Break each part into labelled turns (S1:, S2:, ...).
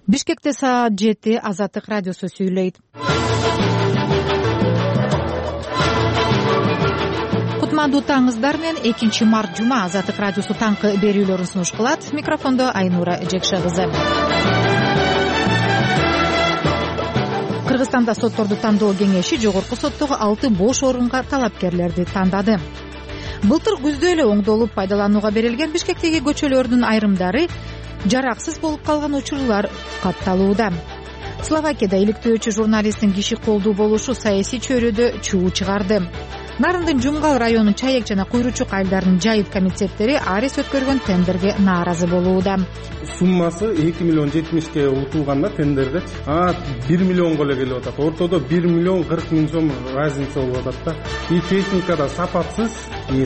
S1: Бишкекте саат 7 Азаттык радиосу сүйлөйт. Кутмандуу таңыңыздар менен 2-март жума Азаттык радиосу таңкы берүүлөрүн сунуш кылат. Микрофондо Айнура Жекше кызы. Кыргызстанда сотторду тандоо кеңеши жогорку соттогу 6 бош орунга талапкерлерди тандады. Былтыр күздө эле оңдолуп пайдаланууга берилген Бишкектеги көчөлөрдүн айрымдары жараксыз болуп калган учурлар катталууда. Словакияда иликтөөчү журналисттин киши колдуу болушу саясий чөйрөдө чуу чыгарды. Нарындын Жумгал районунун Чаек жана Куйручук айылдарынын жайыт комитеттери арес өткөргөн тендерге нааразы болууда.
S2: Суммасы 2 миллион 70ке утулганда тендерде 1 миллионго эле келип атат. Ортодо 1 миллион 40 миң сом разница болуп атат да. Техника да сапатсыз,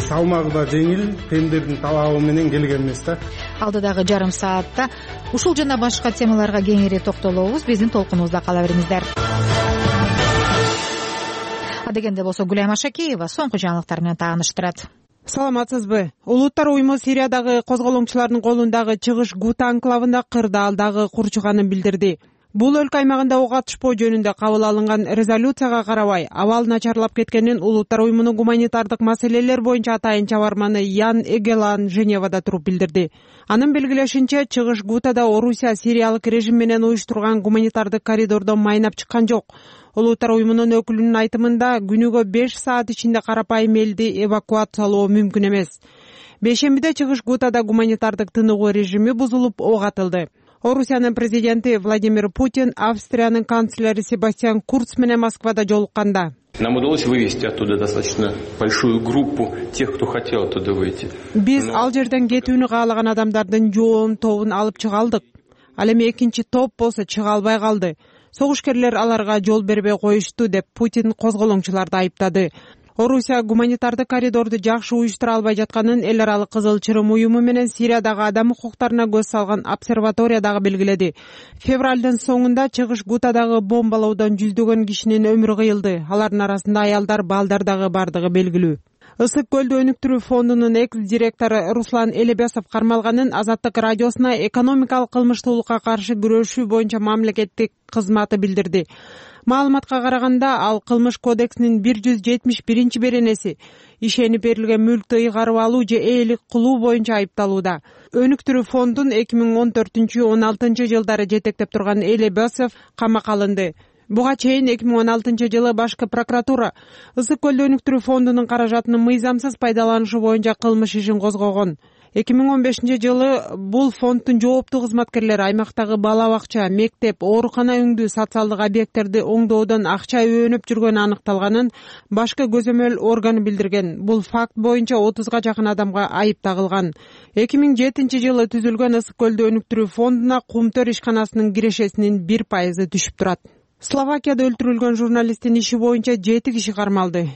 S2: салмагы да жеңил, тендердин талабы менен келген эмес да.
S1: Алдыдагы жарым саатта ушул жана башка темаларга кеңири токтолобуз. Биздин толкунубузда кала бериңиздер. Адегенде болсо Гүлайым Ашакеева соңку жаңылыктар менен тааныштырат.
S3: Саламатсызбы? Улуттар уюму Сириядагы козголоңчулардын колундагы чыгыш Гута анклавында кырдаалдагы курчуганын билдирди. Бул өлкө аймагында ок атышпоо жөнүндө кабыл алынган резолюцияга карабай, абал начарлап кеткенин Улуттар уюмунун гуманитардык маселелер боюнча атайын чабарманы Ян Эгелан Женевада туруп билдирди. Анын белгилешинче, чыгыш Гутада Орусия сириялык режим менен уюштурган гуманитардык коридордон майнап чыккан жок. Улуттар уюмунун өкүлүнүн айтымында күнүгө 5 саат ичинде карапайым элди эвакуациялоо мүмкүн эмес. Бейшембиде чыгыш Гутада гуманитардык тыныгуу режими бузулуп ок атылды. Орусиянын президенти Владимир Путин Австриянын канцлери Себастьян Курц менен Москвада жолукканда:
S4: Нам удалось вывести оттуда достаточно большую группу тех, кто хотел оттуда выйти.
S3: Биз ал жерден кетүүнү каалаган адамдардын жоон тобун алып чыга алдык. Ал эми экинчи топ болсо чыга албай калды. Согушкерлер аларга жол бербей коюшту, деп Путин козголоңчуларды айыптады. Орусия гуманитардык коридорду жакшы уюштура албай жатканын эл аралык Кызыл Чырым уюму менен Сириядагы адам укуктарына көз салган обсерватория дагы белгиледи. Февралдын соңунда чыгыш Гутадагы бомбалоодон жүздөгөн кишинин өмүрү кыйылды. Алардын арасында аялдар, балдар дагы бардыгы белгилүү. Ысык көлдү өнүктүрүү фондунун экс-директору Руслан Элебесов кармалганын Азаттык радиосуна экономикалык кылмыштуулукка каршы күрөшүү боюнча мамлекеттик кызматы билдирди. Маалыматка караганда, ал кылмыш кодексинин 171 беренеси ишенип берилген мүлктү ыйгарып алуу же ээлик кылуу боюнча айыпталууда. Өнүктүрүү фондун 2014-16 жылдары жетектеп турган Элебесов камакка алынды. Буга чейин 2016 жылы башкы прокуратура Ысык көлдү өнүктүрүү фондунун каражатынын мыйзамсыз пайдаланышы боюнча кылмыш ишин козгогон. 2015 жылы бул фонддун жооптуу кызматкерлери аймактагы бала бакча, мектеп, оорукана өңдүү социалдык объекттерди оңдоодон акча өөнөп жүргөнү аныкталганын башкы көзөмөл органы билдирген. Бул факт боюнча 30га жакын адамга айып тагылган. 2007 жылы түзүлгөн Ысык көлдү өнүктүрүү фондуна Кумтөр ишканасынын кирешесинин 1% түшүп турат. Словакияда өлтүрүлгөн журналисттин иши боюнча 7 киши кармалды.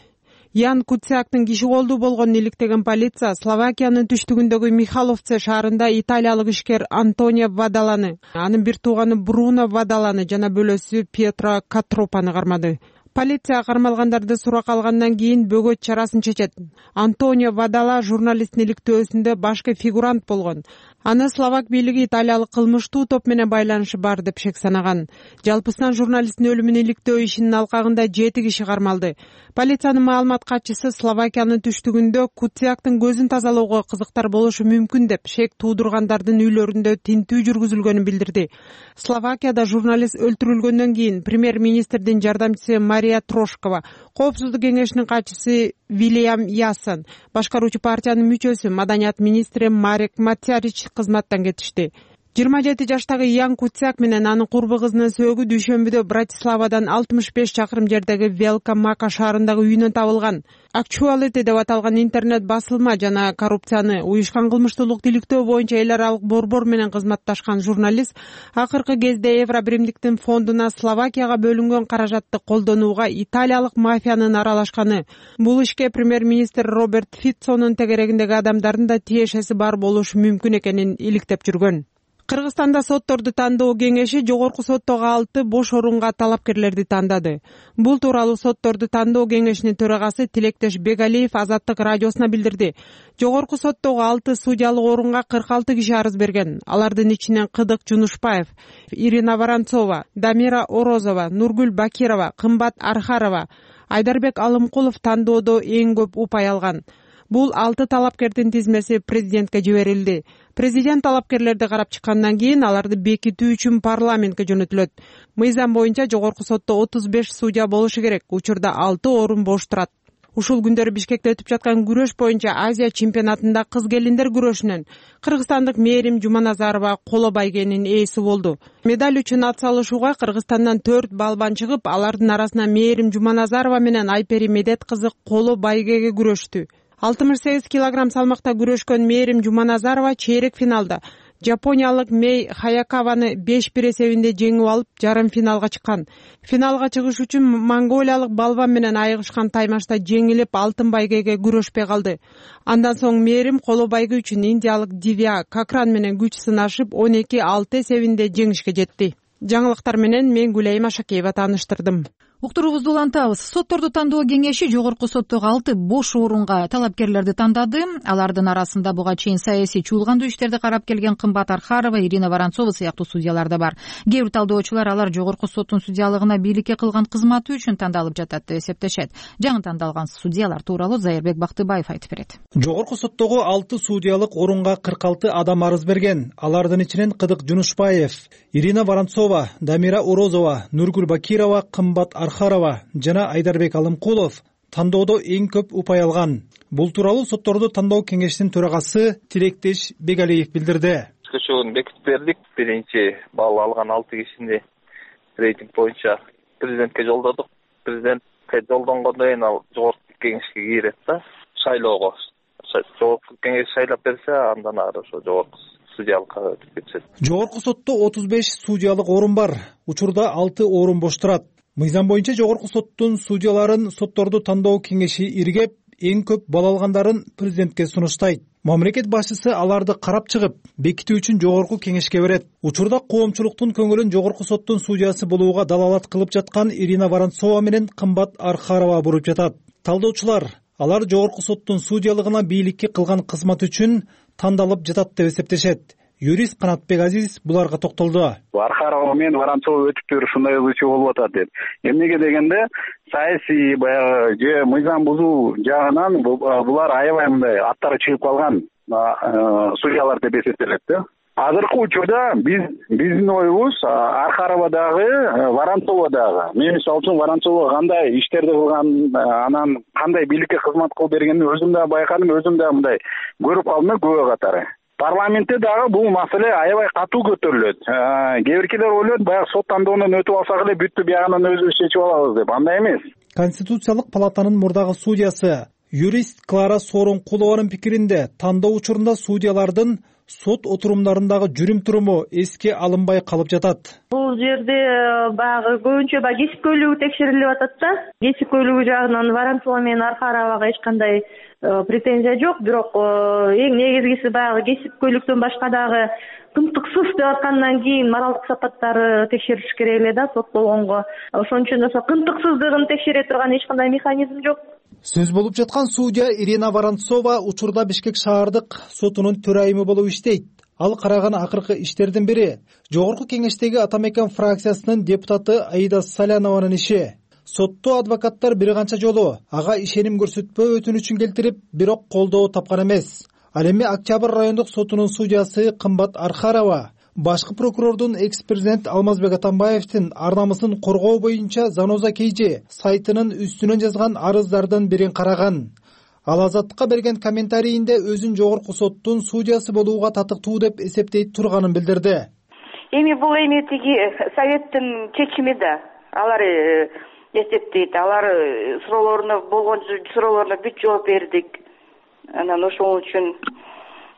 S3: Ян Куцяктын киши колдуу болгонун иликтеген полиция Словакиянын түштүгүндөгү Михаловце шаарында италиялык ишкер Антонио Вадаланы, анын бир тууганы Бруно Вадаланы жана бөлөсү Пьетро Катропаны кармады. Полиция кармалгандарды суракка алгандан кийин бөгөт чарасын чечет. Антонио Вадала журналисттин иликтөөсүндө башкы фигурант болгон. Аны словак бийлиги италиялык кылмыштуу топ менен байланышы бар деп шек санаган. Жалпысынан журналисттин өлүмүн иликтөө ишинин алкагында 7 киши кармалды. Полициянын маалымат катчысы Словакиянын түштүгүндө Куцяктын көзүн тазалоого кызыктар болушу мүмкүн деп шек туудургандардын үйлөрүндө тинтүү жүргүзүлгөнүн билдирди. Словакияда журналист өлтүрүлгөндөн кийин премьер-министрдин жардамчысы Мария Трошкова, Коопсуздук кеңешинин катчысы Вильям Ясон, башкаруучу партиянын мүчөсү маданият министри Марек Матярич кызматтан кетишти. 27 жаштагы Ян Куцяк менен анын курбу кызынын сөөгү дүйшөмбүдө Братиславадан 65 чакырым жердеги Велка Мака шаарындагы үйүнөн табылган. Actuality деп аталган интернет басылма жана коррупцияны, уюшкан кылмыштуулукту иликтөө боюнча эл аралык борбор менен кызматташкан журналист акыркы кезде Евробиримдиктин фондуна Словакияга бөлүнгөн каражатты колдонууга италиялык мафиянын аралашканы, бул ишке премьер-министр Роберт Фицонун тегерегиндеги адамдардын да тиешеси бар болушу мүмкүн экенин иликтеп жүргөн. Кыргызстанда сотторду тандоо кеңеши жогорку соттогу 6 бош орунга талапкерлерди тандады. Бул тууралуу сотторду тандоо кеңешинин төрагасы Тилектеш Бегалиев Азаттык радиосуна билдирди. Жогорку соттогу 6 судьялык орунга 46 киши арыз берген. Алардын ичинен Кыдык Жунушбаев, Ирина Воронцова, Дамира Орозова, Нургүл Бакирова, Кымбат Архарова, Айдарбек Алымкулов тандоодо эң көп упай алган. Бул 6 талапкердин тизмеси президентке жиберилди. Президент талапкерлерди карап чыккандан кийин аларды бекитүү үчүн парламентке жөнөтүлөт. Мыйзам боюнча жогорку сотто 35 судья болушу керек. Учурда 6 орун бош турат. Ушул күндөрү Бишкекте өтүп жаткан күрөш боюнча Азия чемпионатында кыз келиндер күрөшүнөн кыргызстандык Мээрим Жуманазарова коло байгенин ээси болду. Медаль үчүн ат салышууга Кыргызстандан 4 балбан чыгып, алардын арасынан Мээрим Жуманазарова менен Айпери Медет кызы коло байгеге күрөштү. 68 килограмм салмакта күрөшкөн Мээрим Жуманазарова чейрек финалда Жапониялык Мей Хаякаваны 5-1 эсебинде жеңип алып, жарым финалга чыккан. Финалга чыгыш үчүн монголиялык балбан менен айыгышкан таймашта жеңилип, алтын байгеге күрөшпөй калды. Андан соң Мээрим коло байге үчүн индиялык Дивя Какран менен күч сынашып, 12-6 эсебинде жеңишке жетти. Жаңылыктар менен мен Гүлайым Ашакеева тааныштырдым.
S1: Уктуруубузду улантабыз. Сотторду тандоо кеңеши жогорку соттогу 6 бош орунга талапкерлерди тандады. Алардын арасында буга чейин саясий чуулгандуу иштерди карап келген Кымбат Архарова, Ирина Воронцова сыяктуу судьялар да бар. Кээ бир талдоочулар алар жогорку соттун судьялыгына бийликке кылган кызматы үчүн тандалып жатат деп эсептешет. Жаңы тандалган судьялар тууралуу Зайырбек Бактыбаев айтып берет.
S5: Жогорку соттогу 6 судьялык орунга 46 адам арыз берген. Алардын ичинен Кыдык Жунушбаев, Ирина Воронцова, Дамира Орозова, Нургүл Бакирова, Кымбат Архарова жана Айдарбек Алымкулов тандоодо эң көп упай алган. Бул тууралуу сотторду тандоо кеңешинин төрагасы Тилектеш Бегалиев билдирди.
S6: Көчөгүн бекитип бердик. Биринчи балл алган 6 кишини рейтинг боюнча президентке жолдодук. Президентке жолдонгондон кийин ал жогорку кеңешке кирет да, шайлоого. Жогорку кеңеш шайлап берсе, андан ары ошо жогорку судьялыкка өтүп кетет.
S5: Жогорку сотто 35 судьялык орун бар. Учурда 6 орун бош турат. Мыйзам боюнча жогорку соттун судьяларын сотторду тандоо кеңеши иргеп, эң көп балл алгандарын президентке сунуштайт. Мамлекет башчысы аларды карап чыгып, бекитүү үчүн жогорку кеңешке берет. Учурда коомчулуктун көңүлүн жогорку соттун судьясы болууга далалат кылып жаткан Ирина Воронцова менен Кымбат Архарова буруп жатат. Талдоочулар алар жогорку соттун судьялыгына бийликке кылган кызмат үчүн тандалып жатат деп эсептешет. Юрист Канатбек Азиз буларга токтолду.
S7: Архарова менен Воронцова өтүптөр ушундай ылчы болуп атат деп. Эмнеге дегенде, саясий баягы же мыйзам бузуу жагынан булар аябай мындай аттары чыгып калган судьялар деп эсептелет да. Азыркы учурда биздин оюбуз Архарова дагы, Воронцова дагы. Мен мисалы үчүн Воронцова кандай иштерди кылган, анан кандай бийликке кызмат кылып бергенин өзүм да байкадым, өзүм да мындай көрүп калдым күбө катары. Парламентте дагы бул маселе аябай катуу көтөрүлөт. Кээ биркилер ойлойт, баягы сот тандоонун өтүп алсак эле бүттү, биягынан өзүбүз чечип алабыз деп. Андай эмес.
S5: Конституциялык палатанын мурдагы судьясы юрист Клара Сооронкулованын пикиринде, тандоо учурунда судьялардын сот отурумдарындагы жүрүм-туруму эске алынбай калып жатат.
S8: Бул жерде баягы көбүнчө кесипкөйлүгү текшерилип атат да. Кесипкөйлүгү жагынан Воронцова менен Архаровага эч кандай претензия жок, бирок эң негизгиси баягы кесипкөйлүктөн башка дагы тынтыксыз деп аткандан кийин моралдык сапаттары текшерилиш керек эле да сот болгонго. Ошон үчүн кынтыксыздыгын текшере турган эч кандай механизм жок.
S5: Сөз болуп жаткан судья Ирина Воронцова учурда Бишкек шаардык сотунун төрайымы болуп иштейт. Ал караган акыркы иштердин бири жогорку кеңештеги Атамекен фракциясынын депутаты Аида Салянованын иши. Сотто адвокаттар бир канча жолу ага ишеним көрсөтпөө өтүнүчүн келтирип, бирок колдоо тапкан эмес. Ал эми Октябрь райондук сотунун судьясы Кымбат Архарова башкы прокурордун экс-президент Алмазбек Атамбаевдин ар намысын коргоо боюнча Заноза Кейжи сайтынын үстүнөн жазган арыздардын бирин караган. Ал Азаттыкка берген комментарийинде өзүн жогорку соттун судьясы болууга татыктуу деп эсептейт турганын билдирди.
S9: Бул тиги советтин чечими да. Алар эсептейт. Алар болгон суроолоруна бүт жооп бердик. Анан ошол үчүн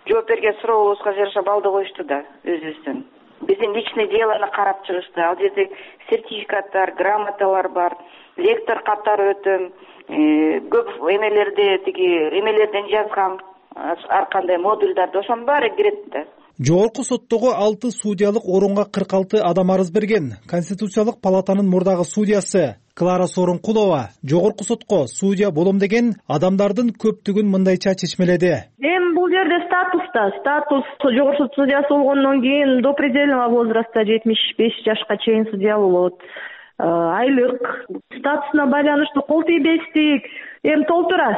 S9: жооп берген суроолорубузга жараша балды коюшту да өзүбүздүн. Биздин личный делону карап чыгышты. Ал жерде сертификаттар, грамоталар бар. Лектор катары өтөм. Көп эмелерден жазгам ар кандай модулдарды ошонун баары кирет да.
S5: Жогорку соттогу 6 судьялык орунга 46 адам арыз берген. Конституциялык палатанын мурдагы судьясы Клара Сооронкулова жогорку сотко судья болом деген адамдардын көптүгүн мындайча чечмеледи.
S8: Эми бул жерде статус жогорку сот судьясы болгондон кийин до предельного возраста 75 жашка чейин судья болот. Айлык статусуна байланыштуу кол тийбестик эми толтура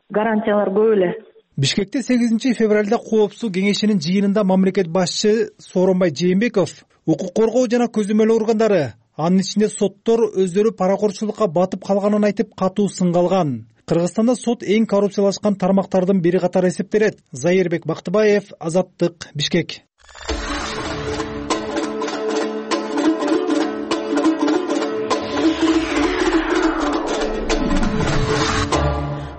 S8: гарантиялар көп эле.
S5: Бишкекте 8 февралда Коопсуздук кеңешинин жыйынында мамлекет башчы Сооронбай Жээнбеков укук коргоо жана көзөмөл органдары, анын ичинде соттор өздөрү паракорчулукка батып калганын айтып катуу сынга алган. Кыргызстанда сот эң коррупциялашкан тармактардын бири катары эсептелет. Зайырбек Бактыбаев, Азаттык, Бишкек.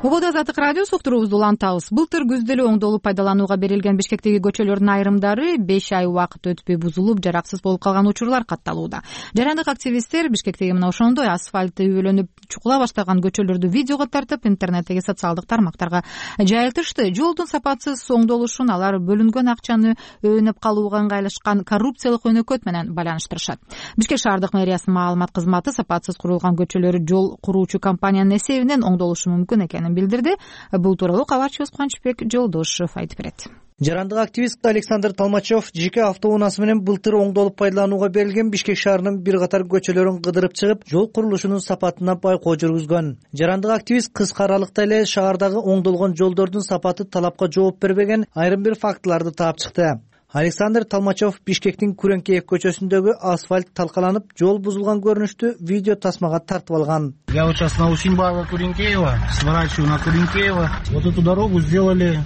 S1: Убада Азаттык радиосу уктуруубузду улантабыз. Былтыр күздө эле оңдолуп пайдаланууга берилген Бишкектеги көчөлөрдүн айрымдары 5 ай убакыт өтпөй бузулуп, жараксыз болуп калган учурлар катталууда. Жарандык активисттер Бишкектеги мына ошондой асфальты үбөлөнүп чукула баштаган көчөлөрдү видеого тартып, интернеттеги социалдык тармактарга жайылтышты. Жолдун сапатсыз оңдолушун алар бөлүнгөн акчаны өөнөп калууга ыңгайлашкан коррупциялык өнөкөт менен байланыштырышат. Бишкек шаардык мэриясынын маалымат кызматы сапатсыз курулган көчөлөр жол куруучу компаниянын эсебинен оңдолушу мүмкүн экенин билдирди. Бул тууралуу кабарчыбыз Кубанычбек Жолдошов айтып берет.
S10: Жарандык активист Александр Толмачев жеке автоунаасы менен былтыр оңдолуп пайдаланууга берилген Бишкек шаарынын бир катар көчөлөрүн кыдырып чыгып, жол курулушунун сапатына байкоо жүргүзгөн. Жарандык активист кыска аралыкта эле шаардагы оңдолгон жолдордун сапаты талапка жооп бербеген айрым бир фактыларды таап чыкты. Александр Толмачев Бишкектин Күреңкеев көчөсүндөгү асфальт талкаланып, жол бузулган көрүнүштү видео тасмага тартып алган.
S11: Я вот сейчас на Усинбаева Куренкеева, сворачиваю на Куренкеева. Вот эту дорогу сделали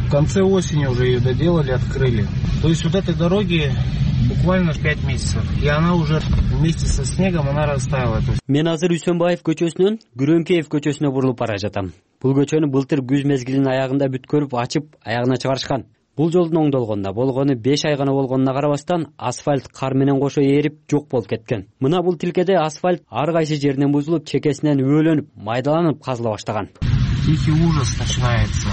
S11: в конце осени, уже ее доделали, открыли. То есть вот этой дороги буквально 5 месяцев. И она уже вместе со снегом она растаяла.
S12: Мен азыр Усинбаев көчөсүнөн Күреңкеев көчөсүнө бурулуп бара жатам. Бул көчөнү былтыр күз мезгилинин аягында бүткөрүп ачып, аягына чыгарышкан. Бул жолдун оңдолгонуна болгону 5 ай гана болгонуна карабастан асфальт кар менен кошо ээрип жок болуп кеткен. Мына бул тилкеде асфальт ар кайсы жеринен бузулуп, чекесинен өөлөнүп, майдаланып казыла баштаган.
S11: Тихий ужас начинается.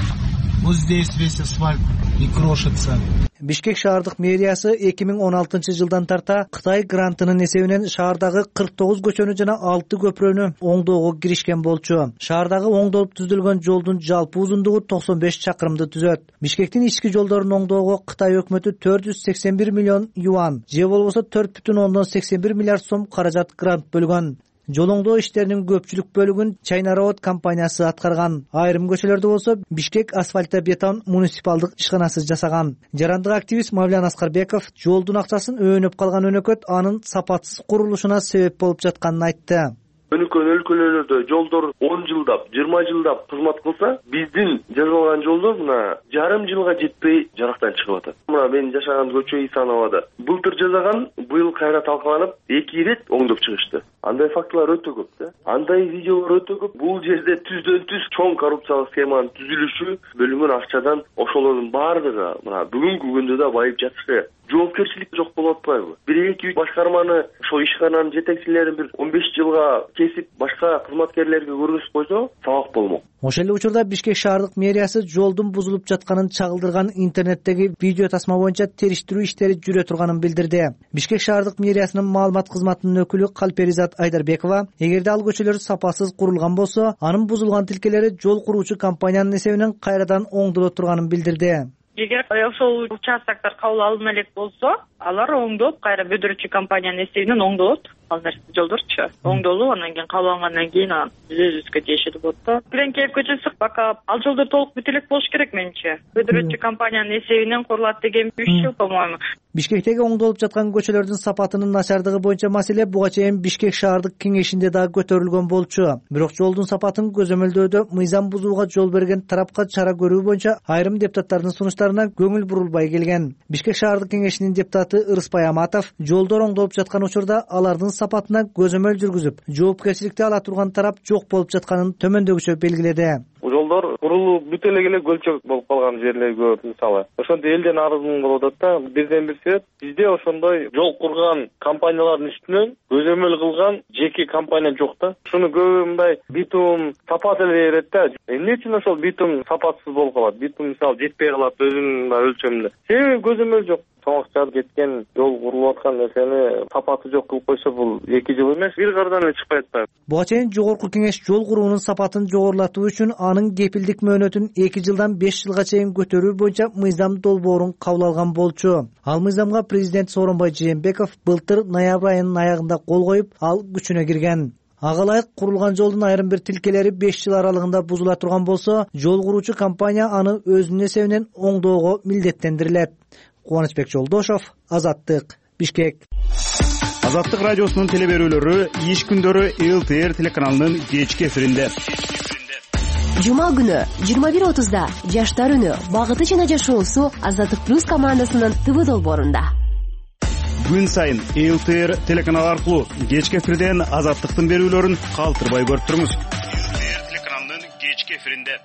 S11: Вот здесь весь асфальт и крошится.
S10: Бишкек шаардык мэриясы 2016 жылдан тарта Кытай грантынын эсебинен шаардагы 49 көчөнү жана 6 көпүрөнү оңдоого киришкен болчу. Шаардагы оңдолуп түзүлгөн жолдун жалпы узундугу 95 чакырымды түзөт. Бишкектин ички жолдорун оңдоого Кытай өкмөтү 481 миллион юан, же болбосо 4,81 миллиард сом каражат грант бөлгөн. Жол оңдоо иштеринин көпчүлүк бөлүгүн China Road компаниясы аткарган. Айрым көчөлөрдө болсо Бишкек асфальтобетон муниципалдык ишканасы жасаган. Жарандык активист Мавлян Аскарбеков жолдун акчасын өөнөп калган өнөкөт анын сапатсыз курулушуна себеп болуп жатканын айтты.
S13: Өнүккөн өлкөлөрдө жолдор 10 жылдап, 20 жылдап кызмат кылса, биздин жасалган жолдор мына жарым жылга жетпей жарактан чыгып атат. Мына мен жашаган көчө Исановада былтыр жасаган, быйыл кайра талкаланып, 2 ирет оңдоп чыгышты. Андай фактылар өтө көп да. Андай видеолор өтө көп. Бул жерде түздөн түз чоң коррупциялык схеманын түзүлүшү, бөлүнгөн акчадан ошолордун баардыгы мына бүгүнкү күндө да байып жатышы. Жоопкерчилик жок болуп атпайбы? 1-2 башкарманы, ошол ишкананын жетекчилерин бир 15 жылга кесип, башка кызматкерлерге көргөзүп койсо, сабак болмок.
S10: Ошол эле учурда Бишкек шаардык мэриясы жолдун бузулуп жатканын чагылдырган интернеттеги видео тасма боюнча териштирүү иштери жүрө турганын билдирди. Бишкек шаардык мэриясынын маалымат кызматынын өкүлү Калперизат Айдарбекова, эгерде ал көчөлөр сапасыз курулган болсо, анын бузулган тилкелери жол куруучу компаниянын эсебинен кайрадан оңдоло турганын билдирди.
S14: Эгер ошол участоктор кабыл алына элек болсо, алар оңдоп, кайра бүдүрүүчү компаниянын эсебинен оңдолот. Ал нерсе жолдорчу оңдолуп, анан кийин кабыл алгандан кийин өзүбүзгө тиешелүү болот да. Күреңкеев көчөсү пока ал жолдор толук бүтө элек болуш керек менимче. Бүдүрүүчү компаниянын эсебинен курулат деген 3 жыл, по-моему.
S10: Бишкектеги оңдолуп жаткан көчөлөрдүн сапатынын начардыгы боюнча маселе буга чейин Бишкек шаардык кеңешинде дагы көтөрүлгөн болчу. Бирок жолдун сапатын көзөмөлдөөдө мыйзам бузууга жол берген тарапка чара көрүү боюнча айрым депутаттардын сунуштарына көңүл бурулбай келген. Бишкек шаардык кеңешинин депутаты Ырыспай Аматов жолдор оңдолуп жаткан учурда алардын сапатына көзөмөл жүргүзүп, жоопкерчиликти ала турган тарап жок болуп жатканын төмөндөгүчө белгиледи.
S13: жолдор курулуп бүт эле көлчөк болуп калган жерлер көп. Мисалы ошондо элден арызын болуп атат да. Бирден бир себеп бизде ошондой жол курган компаниялардын үстүнөн көзөмөл кылган жеке компания жок да. Шуну көбү мындай битум сапат эле берет да. Эмне үчүн ошол битум сапатсыз болуп калат? Битум мисалы жетпей калат өзүнүн өлчөмүндө. Себеби көзөмөл жок. Соңуштап кеткен жол курулуп аткан нерсени сапаты жок кылып койсо бул 2 жыл эмес, бир кардан эле чыкпай атпайбы?
S10: Буга чейин Жогорку Кеңеш жол куруунун сапатын жогорулатуу үчүн анын кепилдик мөөнөтүн 2 жылдан 5 жылга чейин көтөрүү боюнча мыйзам долбоорун кабыл алган болчу. Ал мыйзамга президент Сооронбай Жээнбеков былтыр ноябрь айынын аягында кол коюп, ал күчүнө кирген. Ага ылайык курулган жолдун айрым бир тилкелери 5 жыл аралыгында бузула турган болсо, жол куруучу компания аны өзүнүн эсебинен оңдоого милдеттендирилет. Кубанычбек Жолдошов, Азаттык, Бишкек.
S15: Азаттык радиосунун телеберүүлөрү иш күндөрү ЛТР телеканалынын кечки эфиринде.
S16: Жума күнү 21:30да Жаштар үнү багыты жана жашоосу Азаттык плюс командасынын ТВ долбоорунда.
S15: Күн сайын ЛТР телеканалы аркылуу кечки эфирден Азаттыктын берүүлөрүн калтырбай көрүп туруңуз. ЛТР телеканалынын кечки эфиринде.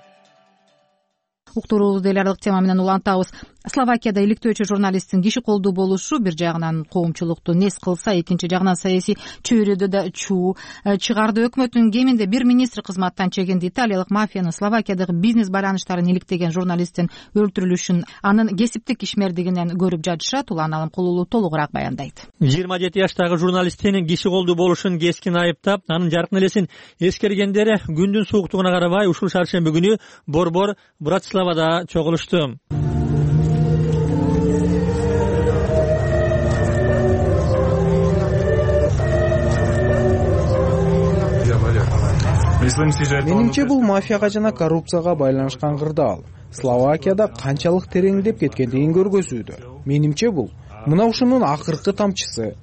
S1: Уктуруубузду эл аралык тема менен улантабыз. Словакияда иликтөөчү журналисттин киши колдуу болушу бир жагынан коомчулукту нес кылса, экинчи жагынан саясий чөйрөдө да чуу чыгарды. Өкмөттүн кеминде бир министр кызматтан чегинди. Италиялык мафиянын Словакиядагы бизнес байланыштарын иликтеген журналисттин өлтүрүлүшүн анын кесиптик ишмердигинен көрүп жатышат. Улан Алымкулуулу толугураак баяндайт.
S17: 27 жаштагы журналисттин киши колдуу болушун кескин айыптап, анын жаркын элесин эскергендер күндүн сууктугуна карабай ушул шаршемби күнү борбор Братиславада чогулушту.
S18: Менимче бул мафияга жана коррупцияга байланышкан кырдаал. Словакияда канчалык тереңдеп кеткендигин көргөзүүдө. Менимче бул мына ушунун акыркы тамчысы.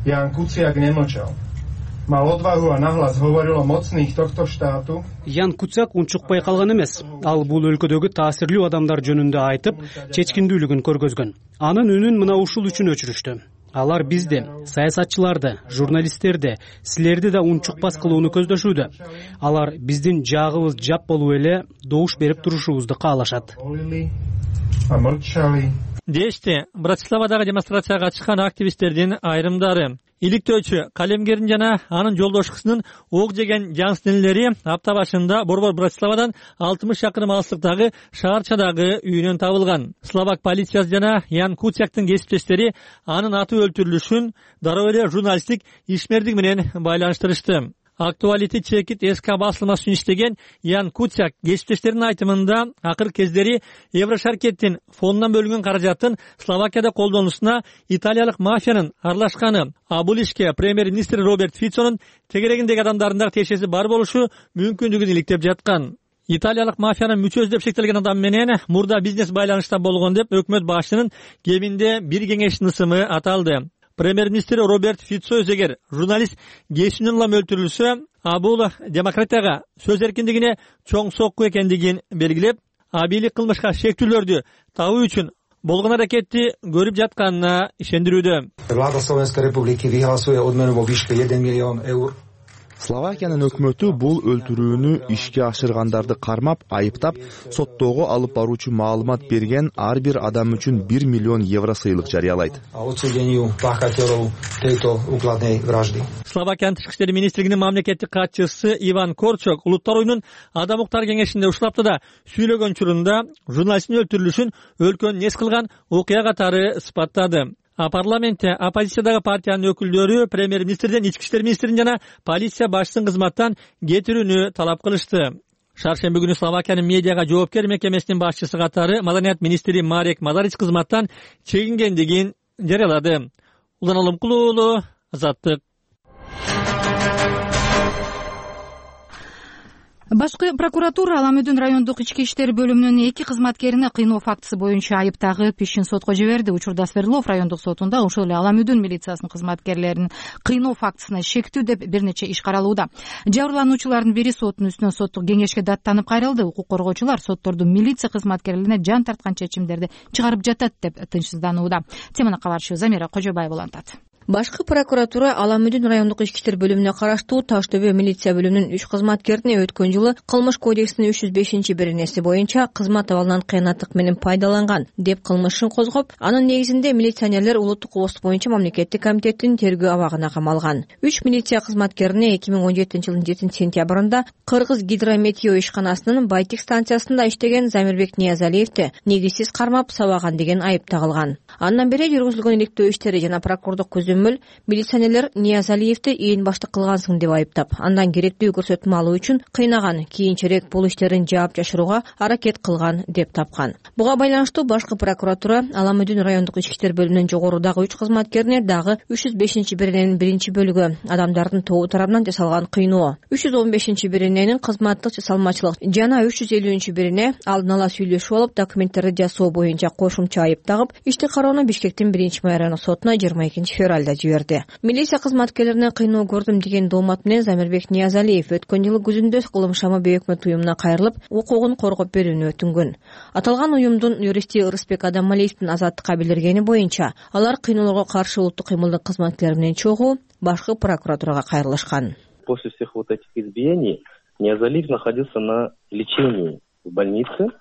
S19: Jan Kuciak nemlčal. Mal odvahu a nahlas hovoril o mocných tohto štátu.
S20: Ян Куцак унчукпай калган эмес. Ал бул өлкөдөгү таасирлүү адамдар жөнүндө айтып, чечкиндүүлүгүн көргөзгөн. Анын үнүн мына ушул үчүн өчүрүштү. Алар бизди, саясатчыларды, журналисттерди, силерди да унчукпас кылууну көздөшүүдө. Алар биздин жагыбыз жап болуп эле добуш берип турушубузду каалашат.
S17: Дешти Братиславадагы демонстрацияга чыккан активисттердин айрымдары. Иликтөөчү калемгердин жана анын жолдош кызынын ок жеген жанстенелери апта башында борбор Братиславадан 60 шакырым алыстыктагы шаарчадагы үйүнөн табылган. Словак полициясы жана Ян Куцяктын кесиптештери анын аты өлтүрүлүшүн дароо эле журналисттик ишмердик менен байланыштырышты. Актуалити чекит СК басылмасы үчүн иштеген Ян Куцяк кесиптештеринин айтымында акыркы кездери Еврошаркеттин фондунан бөлүнгөн каражаттын Словакияда колдонуусуна италиялык мафиянын аралашканы, а бул ишке премьер-министр Роберт Фицонун тегерегиндеги адамдардын тиешеси бар болушу мүмкүндүгүн иликтеп жаткан. Италиялык мафиянын мүчөсү деп шектелген адам менен мурда бизнес байланышта болгон деп өкмөт башчынын кеминде бир кеңештин ысымы аталды. Премьер-министр Роберт Фицо эгер журналист кесинен улам өлтүрүлсө, бул демократияга, сөз эркиндигине чоң сокку экендигин белгилеп, бийлик кылмышка шектүүлөрдү табуу үчүн болгон аракетти көрүп жатканына ишендирүүдө.
S21: Влада Словенской Республики vyhlasuje odmenu vo výške 1 000 000 eur.
S22: Словакиянын өкмөтү бул өлтүрүүнү ишке ашыргандарды кармап, айыптап, соттоого алып баруучу маалымат берген ар бир адам үчүн 1 миллион евро сыйлык жарыялайт.
S17: Словакиянын тышкы иштер министрлигинин мамлекеттик катчысы Иван Корчок улуттар оюнун адам укуктары кеңешинде ушул сүйлөгөн учурунда журналисттин өлтүрүлүшүн өлкөнү нес кылган окуя катары сыпаттады. Парламентте оппозициядагы партиянын өкүлдөрү премьер-министрден, ички иштер министрин жана полиция башчысын кызматтан кетирүүнү талап кылышты. Шаршемби күнү Словакиянын медиага жоопкер мекемесинин башчысы катары маданият министри Марек Мазарич кызматтан чегингендигин жарыялады. Улан Алымкулуулу, Азаттык.
S1: Башкы прокуратура Аламүдүн райондук ички иштер бөлүмүнүн 2 кызматкерине кыйноо фактысы боюнча айыптагы ишин сотко жиберди. Учурда Свердлов райондук сотунда ошол эле Аламүдүн милициясынын кызматкерлеринин кыйноо фактысына шектүү деп бир нече иш каралууда. Жабырлануучулардын бири соттун үстүнөн соттук кеңешке даттанып кайрылды. Укук коргоочулар сотторду милиция кызматкерлерине жан тарткан чечимдерди чыгарып жатат деп тынчсызданууда. Теманы кабарчыбыз Замира Кожобаева улантат.
S2: Башкы прокуратура Ала Мүдүн райондук ички иштер бөлүмүнө караштуу Таш Төбө милиция бөлүмүнүн 3 кызматкерине өткөн жылы кылмыш кодексинин 305-беренеси боюнча кызмат абалынан кыянаттык менен пайдаланган деп кылмышын козгоп, анын негизинде милиционерлер улуттук пост боюнча мамлекеттик комитеттин тергөө абагына камалган. 3 милиция кызматкерине 2017 жылдын 7-сентябрында Кыргыз гидрометео ишканасынын Байтик станциясында иштеген Замирбек Ниязалиевди негизсиз кармап сабаган деген айып тагылган. Андан бери жүргүзүлгөн иликтөө иштери жана прокурордук көзөмөл милиционерлер Ниязалиевди ээн баштык кылгансың деп айыптап, андан керектүү көрсөтмө алуу үчүн кыйнаган, кийинчерээк бул иштерин жаап жашырууга аракет кылган деп тапкан. Буга байланыштуу башкы прокуратура Ала Мүдүн райондук ички иштер бөлүмүнүн жогорудагы 3 кызматкерине дагы 305-берененин 1-бөлүгү адамдардын тобу тарабынан жасалган кыйноо, 315-берененин кызматтык жасалмачылык жана 350-берене алдын ала сүйлөшүп алып документтерди жасоо боюнча кошумча айып тагып, ишти кароону Бишкектин 1-май райондук сотуна 22-февралда жиберди. Милиция кызматкерлерине кыйноо көрдүм деген доомат менен Замирбек Ниязалиев өткөн жылы күзүндө Кылымшама Бейөкмөт уюмуна кайрылып, укугун коргоп берүүнү өтүнгөн. Аталган уюмдун юристи Ырысбек Адамалиевдин азаттыкка билдиргени боюнча, алар кыйноолорго каршы улуттук кыймылдын кызматкерлери менен чогуу башкы прокуратурага кайрылышкан.
S4: После всех вот этих избиений Ниязалиев находился на лечении в больнице.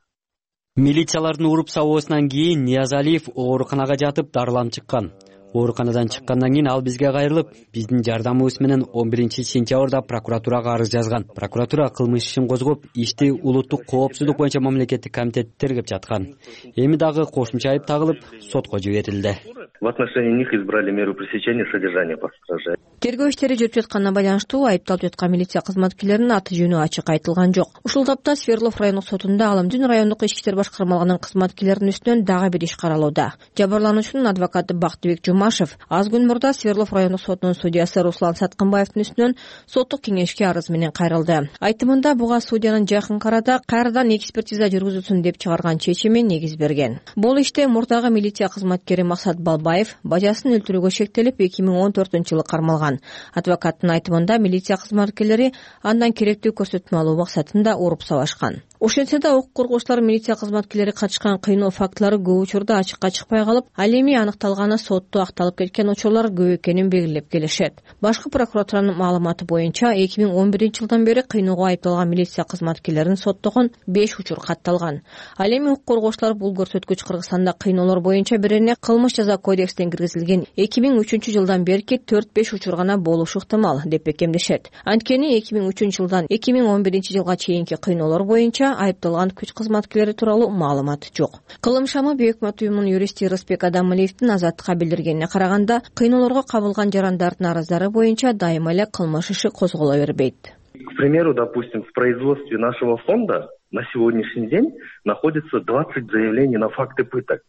S12: Милициялардын уруп сабоосунан кийин Ниязалиев ооруканага жатып дарыланып чыккан. Ооруканадан чыккандан кийин ал бизге кайрылып, биздин жардамыбыз менен 11-сентябрда прокуратурага арыз жазган. Прокуратура кылмыш ишин козгоп, ишти улуттук коопсуздук боюнча мамлекеттик комитет тергеп жаткан. Эми дагы кошумча айып тагылып, сотко жиберилди.
S4: В отношении них избрали меру пресечения содержания под стражей.
S2: Тергөө иштери жүрүп жатканына байланыштуу айыпталып жаткан милиция кызматкерлеринин аты жөнү ачык айтылган жок. Ушул тапта Свердлов райондук сотунда Ала Мүдүн райондук ички иштер башкармалыгынын кызматкерлеринин үстүнөн дагы бир иш каралууда. Жабырлануучунун адвокаты Бактыбек Жумашев аз күн мурда Свердлов райондук сотунун судьясы Руслан Саткынбаевдин үстүнөн соттук кеңешке арыз менен кайрылды. Айтымында буга судьянын жакын арада кайрадан экспертиза жүргүзүлсүн деп чыгарган чечими негиз берген. Бул иште мурдагы милиция кызматкери Максат Балбаев бажасын өлтүрүүгө шектелип 2014-жылы кармалган. Адвокаттын айтымында милиция кызматкерлери андан керектүү көрсөтмө алуу максатында уруп сабашкан. Ошентсе да укук коргоочулар милиция кызматкерлери катышкан кыйноо фактылары көп учурда ачыкка чыкпай калып, ал эми аныкталганы сотто акталып кеткен учурлар көп экенин белгилеп келишет. Башкы прокуратуранын маалыматы боюнча 2011-жылдан бери кыйноого айыпталган милиция кызматкерлерин соттогон 5 учур катталган. Ал эми укук коргоочулар бул көрсөткүч Кыргызстанда кыйноолор боюнча бирине кылмыш жаза кодексине киргизилген 2003-жылдан берки 4-5 учур гана болушу ыктымал деп бекемдешет. Анткени 2003-жылдан 2011-жылга чейинки кыйноолор боюнча айыпталган күч кызматкерлери тууралуу маалымат жок. Кылымшама Бейөкмөт уюмунун юристи Ырысбек Адамалиевдин азаттыкка билдиргенине караганда, кыйноолорго кабылган жарандардын арыздары боюнча дайыма эле кылмыш иши козголо бербейт.
S4: К примеру, допустим, в производстве нашего фонда на сегодняшний день находится 20 заявлений на факты пыток.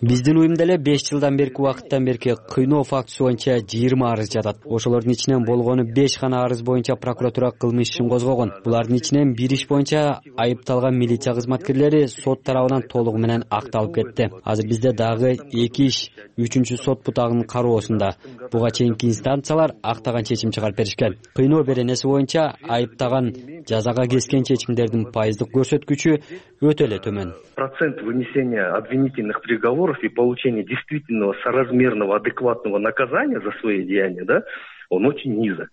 S12: Биздин уюмда эле 5 жылдан берки убакыттан берки кыйноо фактысы боюнча 20 арыз жатат. Ошолордун ичинен болгону 5 гана арыз боюнча прокуратура кылмыш ишин козгогон. Булардын ичинен бир иш боюнча айыпталган милиция кызматкерлери сот тарабынан толугу менен акталып кетти. Азыр бизде дагы 2 иш 3-чү сот бутагынын кароосунда. Буга чейинки инстанциялар актаган чечим чыгарып беришкен. Кыйноо беренеси боюнча айыптаган жазага кескен чечимдердин пайыздык көрсөткүчү өтө эле төмөн.
S4: Процент вынесения обвинительных приговоров и получения действительного соразмерного адекватного наказания за свои деяния, да, он очень низок.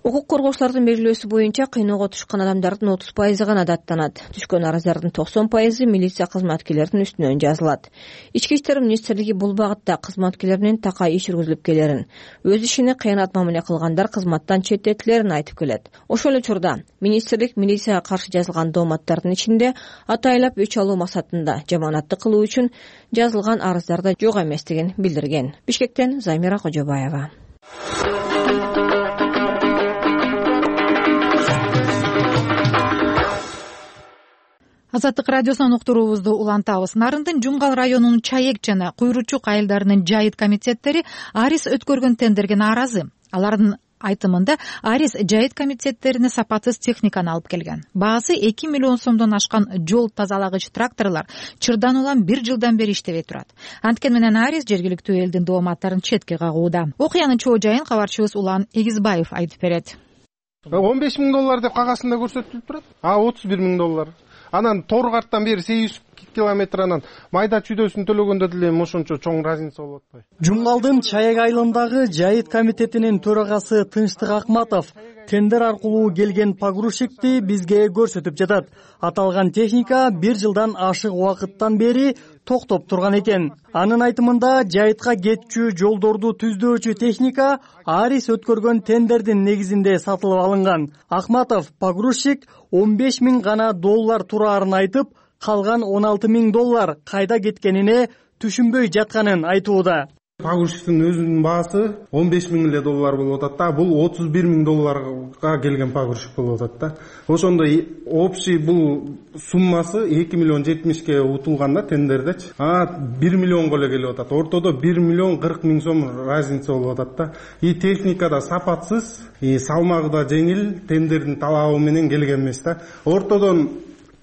S2: Укук коргоочулардын белгилөөсү боюнча кыйноого түшкөн адамдардын 30% гана даттанат. Түшкөн арыздардын 90% милиция кызматкерлеринин үстүнөн жазылат. Ички иштер министрлиги бул багытта кызматкерлер менен такай иш жүргүзүлүп келерин, өз ишине кыянат мамиле кылгандар кызматтан четтетилерин айтып келет. Ошол эле учурда министрлик милицияга каршы жазылган дооматтардын ичинде атайлап өч алуу максатында жаманатты кылуу үчүн жазылган арыздар да жок эместигин билдирген. Бишкектен Замира Кожобаева.
S1: Азаттык радиосунан уктуруубузду улантабыз. Нарындын Жумгал районунун Чаек жана Куйручук айылдарынын жайыт комитеттери Арис өткөргөн тендерге нааразы. Алардын айтымында Арис жайыт комитеттерине сапатсыз техниканы алып келген. Баасы 2 миллион сомдон ашкан жол тазалагыч тракторлор чырдан улам 1 жылдан бери иштебей турат. Анткени менен Арис жергиликтүү элдин дооматтарын четке кагууда. Окуянын чоо жайын кабарчыбыз Улан Эгизбаев айтып берет.
S23: $15,000 деп кагазында көрсөтүлүп турат. $31,000.
S3: анан тор карттан бери 800 километр анан майда чүйдөсүн төлөгөндө деле эми ошончо чоң разница болуп атпайбы?
S6: Жумгалдын Чаек айылындагы жайыт комитетинин төрагасы Тынчтык Акматов тендер аркылуу келген погрузчикти бизге көрсөтүп жатат. Аталган техника 1 жылдан ашык убакыттан бери токтоп турган экен. Анын айтымында жайытка кетчү жолдорду түздөөчү техника Арис өткөргөн тендердин негизинде сатылып алынган. Акматов погрузчик 15 000 гана доллар тураарын айтып, калган 16 000 доллар кайда кеткенине түшүнбөй жатканын айтууда.
S3: Погрузчиктин өзүнүн баасы 15 000 эле доллар болуп атат да. Бул 31 000 долларга келген погрузчик болуп атат да. Ошондо общий бул суммасы 2 миллион 70ке утулган да тендердечи. 1 миллионго эле келип атат. Ортодо 1 миллион 40 000 сом разница болуп атат да. Техника да сапатсыз, салмагы да жеңил, тендердин талабы менен келген эмес да. Ортодон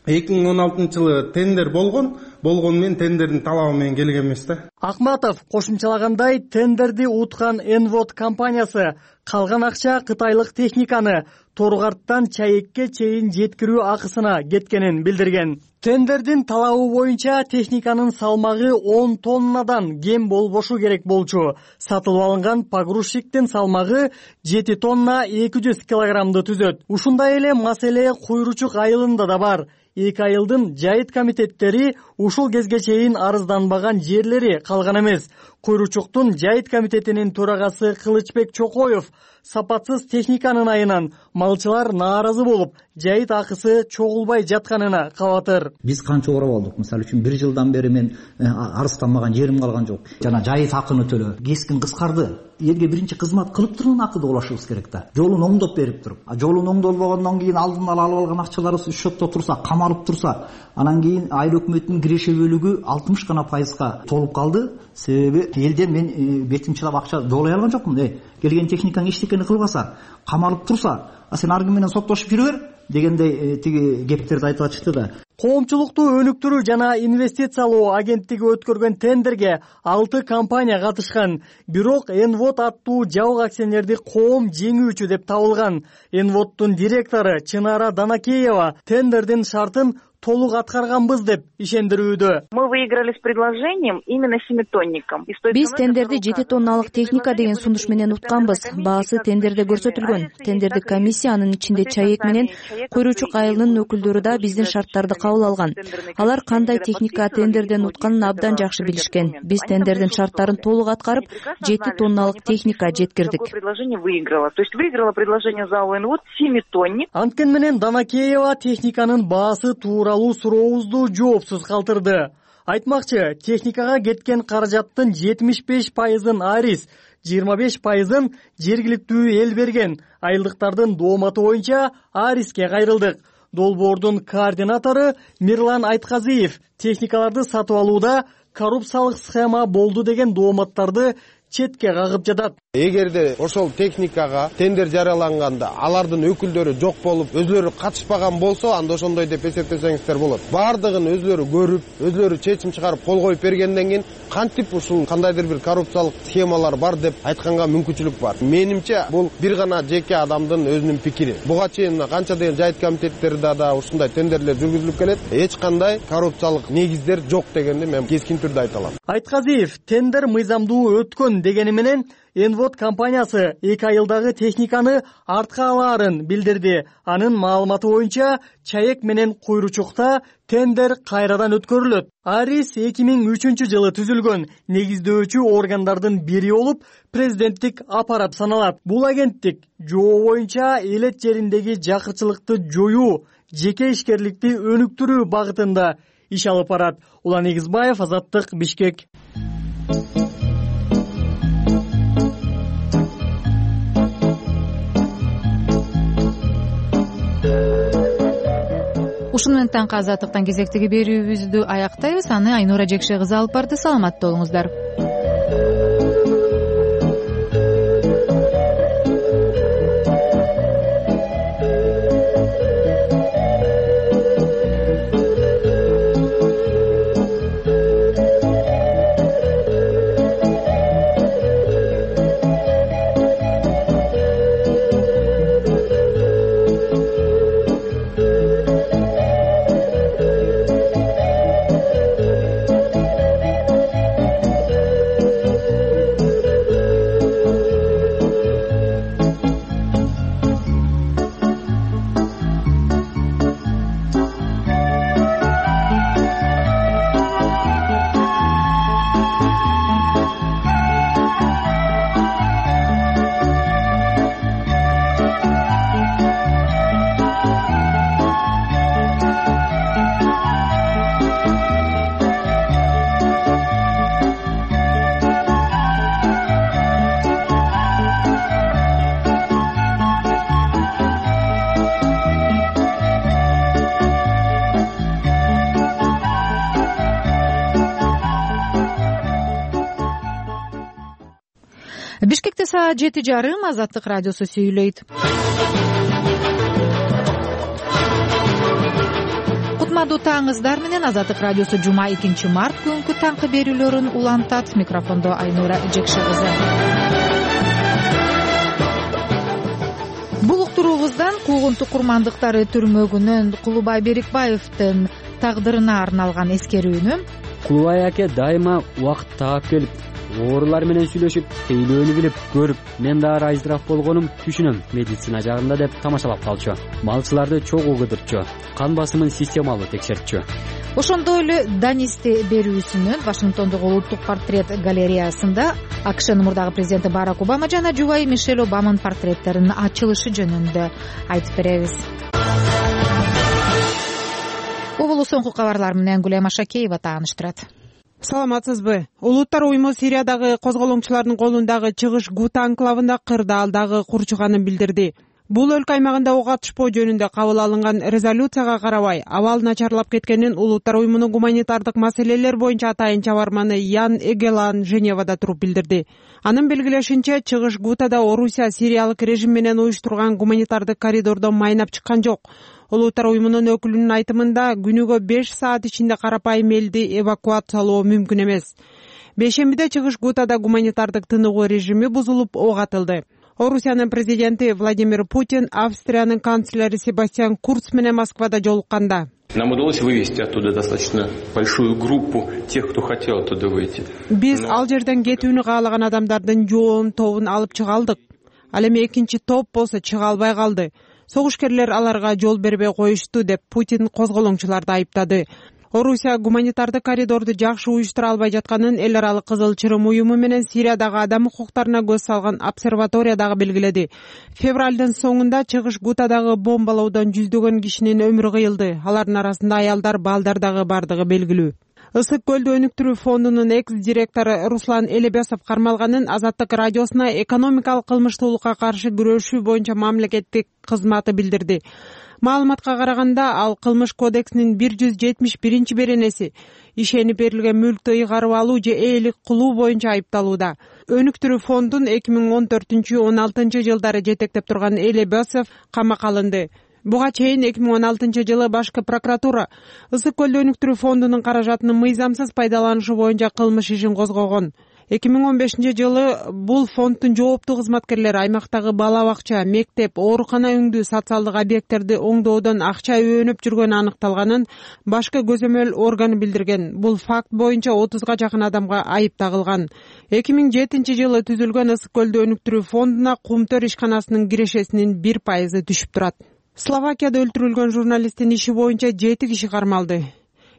S3: 2016-жылы тендер болгон менен тендердин талабы менен келген эмес да.
S6: Акматов кошумчалагандай, тендерди уткан Envod компаниясы калган акча кытайлык техниканы Торгарттан Чаекке чейин жеткирүү акысына кеткенин билдирген. Тендердин талабы боюнча техниканын салмагы 10 тоннадан кем болбошу керек болчу. Сатылып алынган погрузчиктин салмагы 7 тонна 200 килограммды түзөт. Ушундай эле маселе Куйручук айылында да бар. 2 айылдын жайыт комитеттери ушул кезге чейин арызданбаган жерлери калган эмес. Куйручуктун жайыт комитетинин төрагасы Кылычбек Чокоев сапатсыз техниканын айынан малчылар нааразы болуп, жайыт акысы чогулбай жатканына кабатыр.
S23: Биз канча урап алдык. Мисалы үчүн 1 жылдан бери мен арызданмаган жерим калган жок. Жана жайыт акыны төлө. Кескин кыскарды. Элге биринчи кызмат кылып турган акыды улашыбыз керек да. Жолун оңдоп берип туруп. Жолун оңдолбогондон кийин алдын ала алып алган акчалары счетто турса, камалып турса, анан кийин айыл өкмөтүнүн киреше бөлүгү 60 гана пайызга толуп калды. Себеби элден мен бетим чылап акча жоолой алган жокмун. Келген техникаң эчтекени кылбаса, камалып турса, сен аргы менен соттошуп жүрө бер дегендей тиги кептерди айтып атышты да.
S6: Коомчулукту өнүктүрүү жана инвестициялоо агенттиги өткөргөн тендерге 6 компания катышкан. Бирок Envod аттуу жабык акционерди коом жеңүүчү деп табылган. Envodдун директору Чынара Данакеева тендердин шартын толук аткарганбыз деп ишендирүүдө.
S24: Мы выиграли с предложением именно 7-тонником.
S2: Биз тендерди 7 тонналык техника деген сунуш менен утканбыз. Баасы тендерде көрсөтүлгөн. Тендердик комиссия, анын ичинде Чаек менен Куйручук айылынын өкүлдөрү да биздин шарттарды кабыл алган. Алар кандай техника тендерден утканын абдан жакшы билишкен. Биз тендердин шарттарын толук аткарып, 7 тонналык техника жеткирдик.
S24: Предложение выиграло. То есть выиграло предложение ЗАО Envod 7-тонник.
S6: Анткени менен Данакеева техниканын баасы тууралуу сурообузду жоопсуз калтырды. Айтмакчы, техникага кеткен каражаттын 75%-ын Арис, 25%-ын жергиликтүү эл берген. Айылдыктардын дооматы боюнча Ариске кайрылдык. Долбоордун координатору Мирлан Айтказиев техникаларды сатып алууда коррупциялык схема болду деген дооматтарды четке кагып жатат.
S3: Эгерде ошол техникага тендер жарыяланганда алардын өкүлдөрү жок болуп, өзлөрү катышпаган болсо, анда ошондой деп эсептесеңиздер болот. Бардыгын өзлөрү көрүп, өзлөрү чечим чыгарып кол коюп бергенден кийин кантип ушул кандайдыр бир коррупциялык схемалар бар деп айтканга мүмкүнчүлүк бар. Менимче бул бир гана жеке адамдын өзүнүн пикири. Буга чейин канча деген жайыт комитеттерде да ушундай тендерлер жүргүзүлүп келет. Эч кандай коррупциялык негиздер жок дегенди мен кескин түрдө айта алам.
S6: Айтказиев тендер мыйзамдуу өткөн дегени менен Envod компаниясы 2 айылдагы техниканы артка алаарын билдирди. Анын маалыматы боюнча Чаек менен Куйручукта тендер кайрадан өткөрүлөт. Арис 2003-жылы түзүлгөн негиздөөчү органдардын бири болуп, президенттик аппарат саналат. Бул агенттик жоо боюнча элет жериндеги жакырчылыкты жоюу, жеке ишкерликти өнүктүрүү багытында иш алып барат. Улан Эгизбаев, Азаттык, Бишкек.
S1: Ушуну менен таңкы Азаттыктан кезектеги берүүбүздү аяктайбыз. Аны Айнура Жекше кызы алып барды. Саламатта болуңуздар. Бишкекте саат 7:30 Азаттык радиосу сүйлөйт. Кутмандуу таңыңыздар менен Азаттык радиосу жума 2 март күнкү таңкы берүүлөрүн улантат. Микрофондо Айнура Жекши кызы. Бул уктуруубуздан куугунтук курмандыктары түрмөгүнөн Кулубай Берикбаевдин тагдырына арналган эскерүүнү.
S12: Кулубай аке дайыма убакыт таап келип, оорулар менен сүйлөшүп, тейлөөнү билип көрүп, мен да айзыраак болгонум түшүнөм медицина жагында деп тамашалап калчу. Малчыларды чогуу кыдырчу, кан басымын системалуу текшертчү.
S1: Ошондой эле Данисти берүүсүнүн Вашингтондогу улуттук портрет галереясында АКШнын мурдагы президенти Барак Обама жана жубайы Мишель Обаманын портреттеринин ачылышы жөнүндө айтып беребиз. Угулу соңку кабарлар менен Гүлем Ашакеева тааныштырат.
S5: Саламатсызбы? Улуттар уюму Сириядагы козголоңчулардын колундагы чыгыш Гута анклавында кырдаалдагы курчуганын билдирди. Бул өлкө аймагында ок атышпоо жөнүндө кабыл алынган резолюцияга карабай, абал начарлап кеткенин Улуттар уюмунун гуманитардык маселелер боюнча атайын чабарманы Ян Эгелан Женевада туруп билдирди. Анын белгилешинче, чыгыш Гутада Орусия сириялык режим менен уюштурган гуманитардык коридордон майнап чыккан жок. Улуттар уюмунун өкүлүнүн айтымында, күнүгө 5 саат ичинде карапайым элди эвакуациялоо мүмкүн эмес. Бейшембиде чыгыш Гутада гуманитардык тыныгуу режими бузулуп ок атылды. Орусиянын президенти Владимир Путин Австриянын канцлери Себастьян Курц менен Москвада жолукканда.
S7: Нам удалось вывести оттуда достаточно большую группу тех, кто хотел оттуда выйти.
S5: Биз ал жерден кетүүнү каалаган адамдардын жоон тобун алып чыга алдык. Ал эми экинчи топ болсо чыга албай калды. Согушкерлер аларга жол бербей коюшту деп Путин козголоңчуларды айыптады. Орусия гуманитардык коридорду жакшы уюштура албай жатканын эл аралык Кызыл Чырым уюму менен Сириядагы адам укуктарына көз салган обсерватория дагы белгиледи. Февралдын соңунда чыгыш Гутадагы бомбалоодон жүздөгөн кишинин өмүрү кыйылды. Алардын арасында аялдар, балдар дагы бардыгы белгилүү. Ысык көлдү өнүктүрүү фондунун экс-директору Руслан Элебесов кармалганын Азаттык радиосуна экономикалык кылмыштуулукка каршы күрөшүү боюнча мамлекеттик кызматы билдирди. Маалыматка караганда, ал кылмыш кодексинин 171 беренеси ишенип берилген мүлктү ыйгарып алуу же ээлик кылуу боюнча айыпталууда. Өнүктүрүү фондун 2014-16 жылдары жетектеп турган Элебесов камакка алынды. Буга чейин 2016 жылы башкы прокуратура Ысык көлдү өнүктүрүү фондунун каражатынын мыйзамсыз пайдаланышы боюнча кылмыш ишин козгогон. 2015 жылы бул фонддун жооптуу кызматкерлери аймактагы бала бакча, мектеп, оорукана үңдүү социалдык объекттерди оңдоодон акча өөнөп жүргөнү аныкталганын башкы көзөмөл органы билдирген. Бул факт боюнча 30га жакын адамга айып тагылган. 2007 жылы түзүлгөн Ысык көлдү өнүктүрүү фондуна Кумтөр ишканасынын кирешесинин 1% түшүп турат. Словакияда өлтүрүлгөн журналисттин иши боюнча 7 киши кармалды.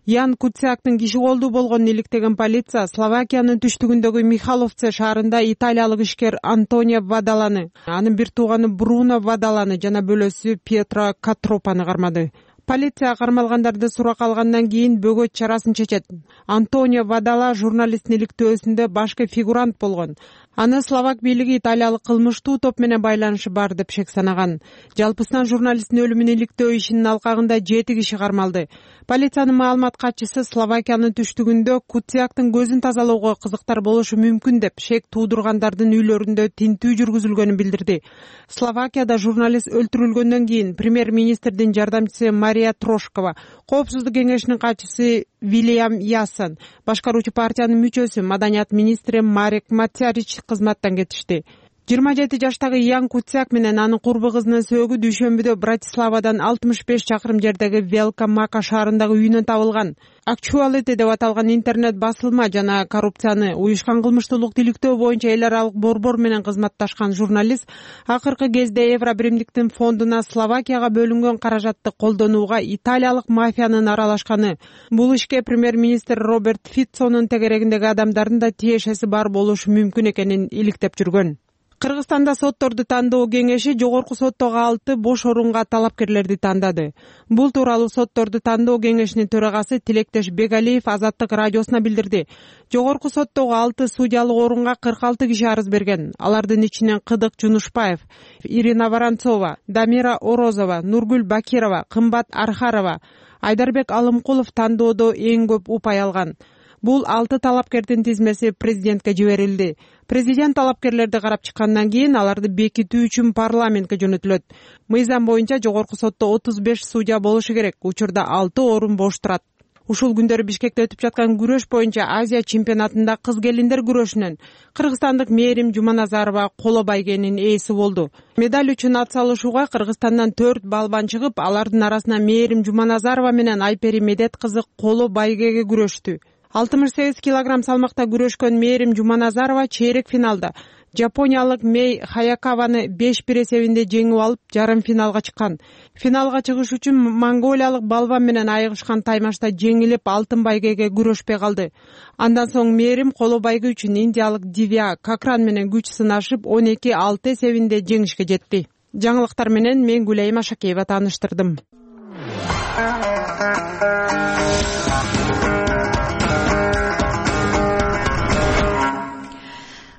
S5: Ян Куцяктын киши колдуу болгонун иликтеген полиция Словакиянын түштүгүндөгү Михаловце шаарында италиялык ишкер Антонио Вадаланы, анын бир тууганы Бруно Вадаланы жана бөлөсү Пьетро Катропаны кармады. Полиция кармалгандарды суракка алгандан кийин бөгөт чарасын чечет. Антонио Вадала журналисттин иликтөөсүндө башкы фигурант болгон. Аны словак бийлиги италиялык кылмыштуу топ менен байланышы бар деп шек санаган. Жалпысынан журналисттин өлүмүн иликтөө ишинин алкагында 7 киши кармалды. Полициянын маалымат катчысы Словакиянын түштүгүндө Куцяктын көзүн тазалоого кызыктар болушу мүмкүн деп шек туудургандардын үйлөрүндө тинтүү жүргүзүлгөнүн билдирди. Словакияда журналист өлтүрүлгөндөн кийин премьер-министрдин жардамчысы Мария Трошкова, Коопсуздук кеңешинин катчысы Вильям Ясон, башкаруучу партиянын мүчөсү маданият министри Марек Мацярич кызматтан кетишти. 27 жаштагы Ян Куцяк менен анын курбу кызынын сөөгү дүйшөмбүдө Братиславадан 65 чакырым жердеги Велка Мака шаарындагы үйүнөн табылган. Actuality деп аталган интернет басылма жана коррупцияны, уюшкан кылмыштуулук тиликтөө боюнча эл аралык борбор менен кызматташкан журналист акыркы кезде Евробиримдиктин фондуна Словакияга бөлүнгөн каражатты колдонууга италиялык мафиянын аралашканы, бул ишке премьер-министр Роберт Фицонун тегерегиндеги адамдардын да тиешеси бар болушу мүмкүн экенин иликтеп жүргөн. Кыргызстанда сотторду тандоо кеңеши жогорку соттогу 6 бош орунга талапкерлерди тандады. Бул тууралуу сотторду тандоо кеңешинин төрагасы Тилектеш Бегалиев Азаттык радиосуна билдирди. Жогорку соттогу 6 судьялык орунга 46 киши арыз берген. Алардын ичинен Кыдык Жунушбаев, Ирина Воронцова, Дамира Орозова, Нургүл Бакирова, Кымбат Архарова, Айдарбек Алымкулов тандоодо эң көп упай алган. Бул 6 талапкердин тизмеси президентке жиберилди. Президент талапкерлерди карап чыккандан кийин аларды бекитүү үчүн парламентке жөнөтүлөт. Мыйзам боюнча жогорку сотто 35 судья болушу керек. Учурда 6 орун бош турат. Ушул күндөрү Бишкекте өтүп жаткан күрөш боюнча Азия чемпионатында кыз келиндер күрөшүнөн кыргызстандык Мээрим Жуманазарова коло байгенин ээси болду. Медаль үчүн ат салышууга Кыргызстандан 4 балбан чыгып, алардын арасынан Мээрим Жуманазарова менен Айпери Медет кызы коло байгеге күрөштү. 68 килограмм салмакта күрөшкөн Мээрим Жуманазарова чейрек финалда Жапониялык Мей Хаякаваны 5-1 эсебинде жеңип алып, жарым финалга чыккан. Финалга чыгыш үчүн монголиялык балбан менен айыгышкан таймашта жеңилип, алтын байгеге күрөшпөй калды. Андан соң Мээрим коло байге үчүн индиялык Дивя Кокран менен күч сынашып, 12-6 эсебинде жеңишке жетти. Жаңылыктар менен мен Гүлайым Ашакеева тааныштырдым.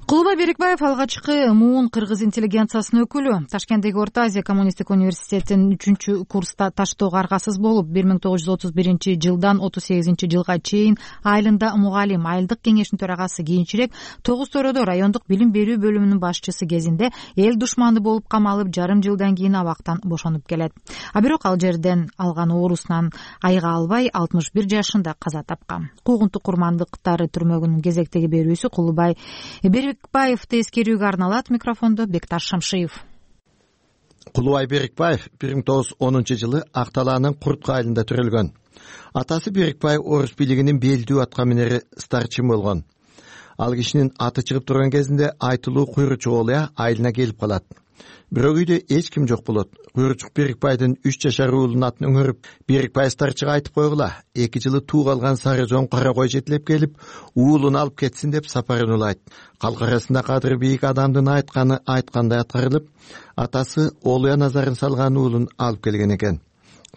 S1: Кулубай Берикбаев алгачкы муун кыргыз интеллигенциясынын өкүлү. Ташкенттеги Орто Азия коммунисттик университетинин 3-курста таштоого аргасыз болуп, 1931-жылдан 38-жылга чейин айылында мугалим, айылдык кеңештин төрагасы, кийинчерээк Тогуз Тородо райондук билим берүү бөлүмүнүн башчысы кезинде эл душманы болуп камалып, жарым жылдан кийин абактан бошонуп келет. А бирок ал жерден алган оорусунан айыга албай 61 жашында каза тапкан. Куугунтук курмандыктары түрмөгүнүн кезектеги берүүсү Кулубай Берикбаевди эскерүүгө арналат. Микрофондо Бекташ Шамшиев.
S8: Кулубай Берикбаев 1910-жылы Ак Талаанын Куртка айылында төрөлгөн. Атасы Берикбаев орус бийлигинин белдүү аткаминери старчин болгон. Ал кишинин аты чыгып турган кезинде айтылуу куйручук олуя айылына келип калат. Бирок үйдө эч ким жок болот. Куйручук Берикбайдын 3 жашар уулунун атын өңөрүп, Берикбай старчыга айтып койгула, 2 жылы тууга алган Сарыжон кара кой жетилеп келип, уулун алып кетсин деп сапарын улайт. Калк арасында кадыры бийик адамдын айтканы айткандай аткарылып, атасы олуя назарын салган уулун алып келген экен.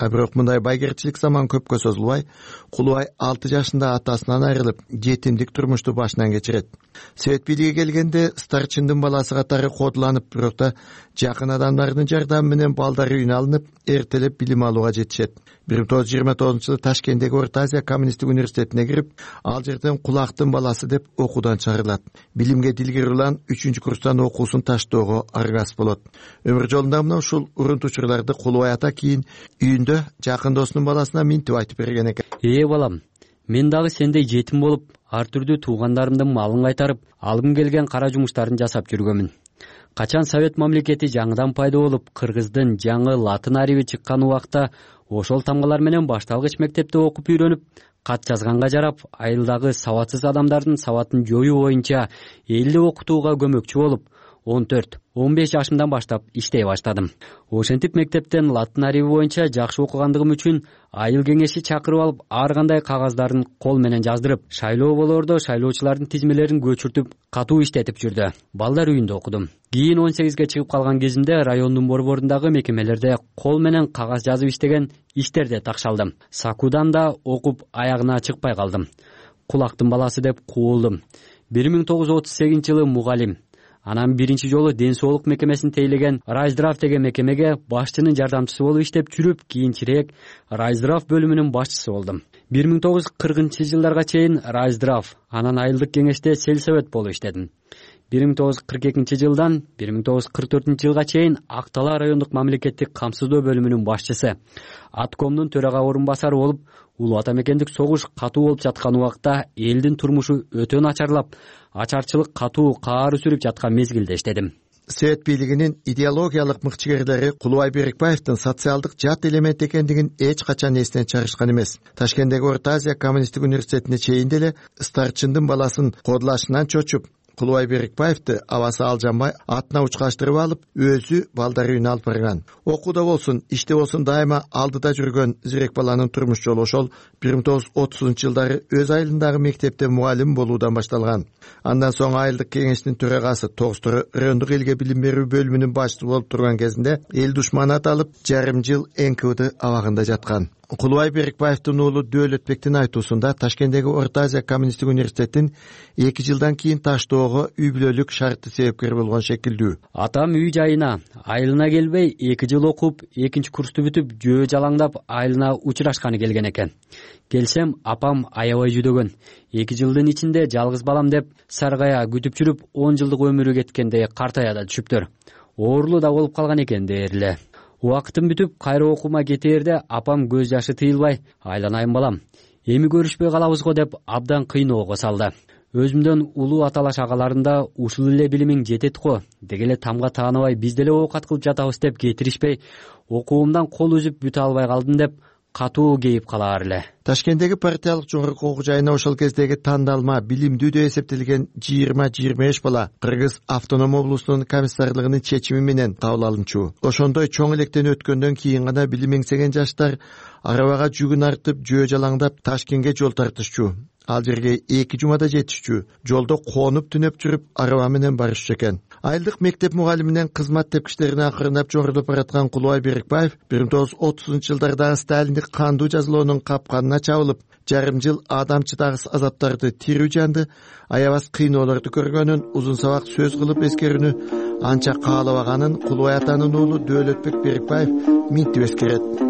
S8: Бирок мындай байгерчилик заман көпкө созулбай, Кулубай 6 жашында атасынан айрылып, жетимдик турмушту башынан кечирет. Совет бийлиги келгенде старчындын баласы катары кодуланып, бирок да жакын адамдардын жардамы менен балдары үйүнө алынып, эртелеп билим алууга жетишет. 1929-жылы Ташкенттеги Орто Азия коммунисттик университетине кирип, ал жерден кулактын баласы деп окуудан чыгарылат. Билимге дилгир улан 3-курстан окуусун таштоого аргасыз болот. Өмүр жолунда мына ушул урунтучурларды Кулубай ата кийин үйүндө жакын досунун баласына минтип айтып берген экен.
S12: Балам, мен дагы сендей жетим болуп, ар түрдүү туугандарымдын малын кайтарып, алгым келген кара жумуштарын жасап жүргөмүн. Качан Совет мамлекети жаңыдан пайда болуп, кыргыздын жаңы латын ариби чыккан убакта ошол тамгалар менен башталгыч мектепте окуп үйрөнүп, кат жазганга жарап, айылдагы сабатсыз адамдардын сабатын жоюу боюнча элди окутууга көмөкчү болуп, 14-15 жашымдан баштап иштей баштадым. Ошентип мектептен латын ариби боюнча жакшы окугандыгым үчүн айыл кеңеши чакырып алып, ар кандай кагаздарын кол менен жаздырып, шайлоо болоордо шайлоочулардын тизмелерин көчүртүп, катуу иштетип жүрдү. Балдар үйүндө окудум. Кийин 18ге чыгып калган кезимде райондун борборундагы мекемелерде кол менен кагаз жазып иштеген иштерде такшалдым. Сакудан да окуп аягына чыкпай калдым. Кулактын баласы деп куулдум. 1938-жылы мугалим. Анан биринчи жолу ден соолук мекемесин тейлеген Райздрав деген мекемеге башчынын жардамчысы болуп иштеп жүрүп, кийинчерээк Райздрав бөлүмүнүн башчысы болдум. 1940-жылдарга чейин Райздрав, анан айылдык кеңеште сельсовет болуп иштедим. 1942-жылдан 1944-жылга чейин Ак Талаа райондук мамлекеттик камсыздоо бөлүмүнүн башчысы, аткомдун төрага орун басары болуп, улуу ата мекендик согуш катуу болуп жаткан убакта элдин турмушу өтө начарлап, ачарчылык катуу каары сүрүп жаткан мезгилде иштедим.
S8: Совет бийлигинин идеологиялык мыкчыгерлери Кулубай Берикбаевдин социалдык жат элемент экендигин эч качан эстен чыгарышкан эмес. Ташкенттеги Орто Азия коммунисттик университетине чейин деле старчындын баласын кодулашынан чочуп, Кулубай Берикбаевди абасы Алжанбай атына учкаштырып алып, өзү балдар үйүнө алып барган. Окууда болсун, иште болсун дайыма алдыда жүргөн зирек баланын турмуш жолу ошол 1930-жылдары өз айылындагы мектепте мугалим болуудан башталган. Андан соң айылдык кеңештин төрагасы Тогуз Тородо райондук элге билим берүү бөлүмүнүн башчысы болуп турган кезинде эл душманы аталып, жарым жыл НКВД абагында жаткан. Кулубай Берикбаевдин уулу Дөөлөтбектин айтуусунда Ташкенттеги Орто Азия коммунисттик университетин 2 жылдан кийин таштоого үй бүлөлүк шартты себепкер болгон шекилдүү.
S12: Атам үй жайына айылына келбей 2 жыл окуп, 2 курсту бүтүп, жөө жалаңдап айылына учурашканы келген экен. Келсем, апам аябай жүдөгөн. 2 жылдын ичинде жалгыз балам деп саргая күтүп жүрүп, 10 жылдык өмүрү кеткенде картая да түшүптөр. Оорулуу да болуп калган экен дээрле. Убактым бүтүп, кайра окуума кетээрде апам көз жашы тыйылбай, айланайын балам, эми көрүшпөй калабыз го деп абдан кыйноого салды. Өзүмдөн улуу аталаш агаларында ушул эле билимиң жетет го, дегеле тамга тааныбай биз деле оокат кылып жатабыз деп кетиришпей, окуумдан кол үзүп бүтө албай калдым деп катуу кейип калаар эле.
S8: Ташкенттеги партиялык жогорку окуу жайына ошол кездеги тандалма билимдүү деп эсептелген 20-25 бала Кыргыз автоном облусунун комиссарлыгынын чечими менен кабыл алынчу. Ошондой чоң электен өткөндөн кийин гана билим эңсеген жаштар арабага жүгүн артып, жөө жалаңдап Ташкентке жол тартышчу. Ал жерге 2 жумада жетишчү. Жолдо коонуп түнөп жүрүп, араба менен барышчу экен. Айылдык мектеп мугалиминен кызмат тепкичтерине акырындап жогорулуп бараткан Кулубай Берикбаев 1930-жылдардагы сталиндик кандуу жазалоонун капканына чабылып, жарым жыл адамчытагыс азаптарды тирүү жанды, аябас кыйноолорду көргөнүн узун сабак сөз кылып эскерүүнү анча каалабаганын Кулубай атанын уулу Дөөлөтбек Берикбаев минтип эскерет.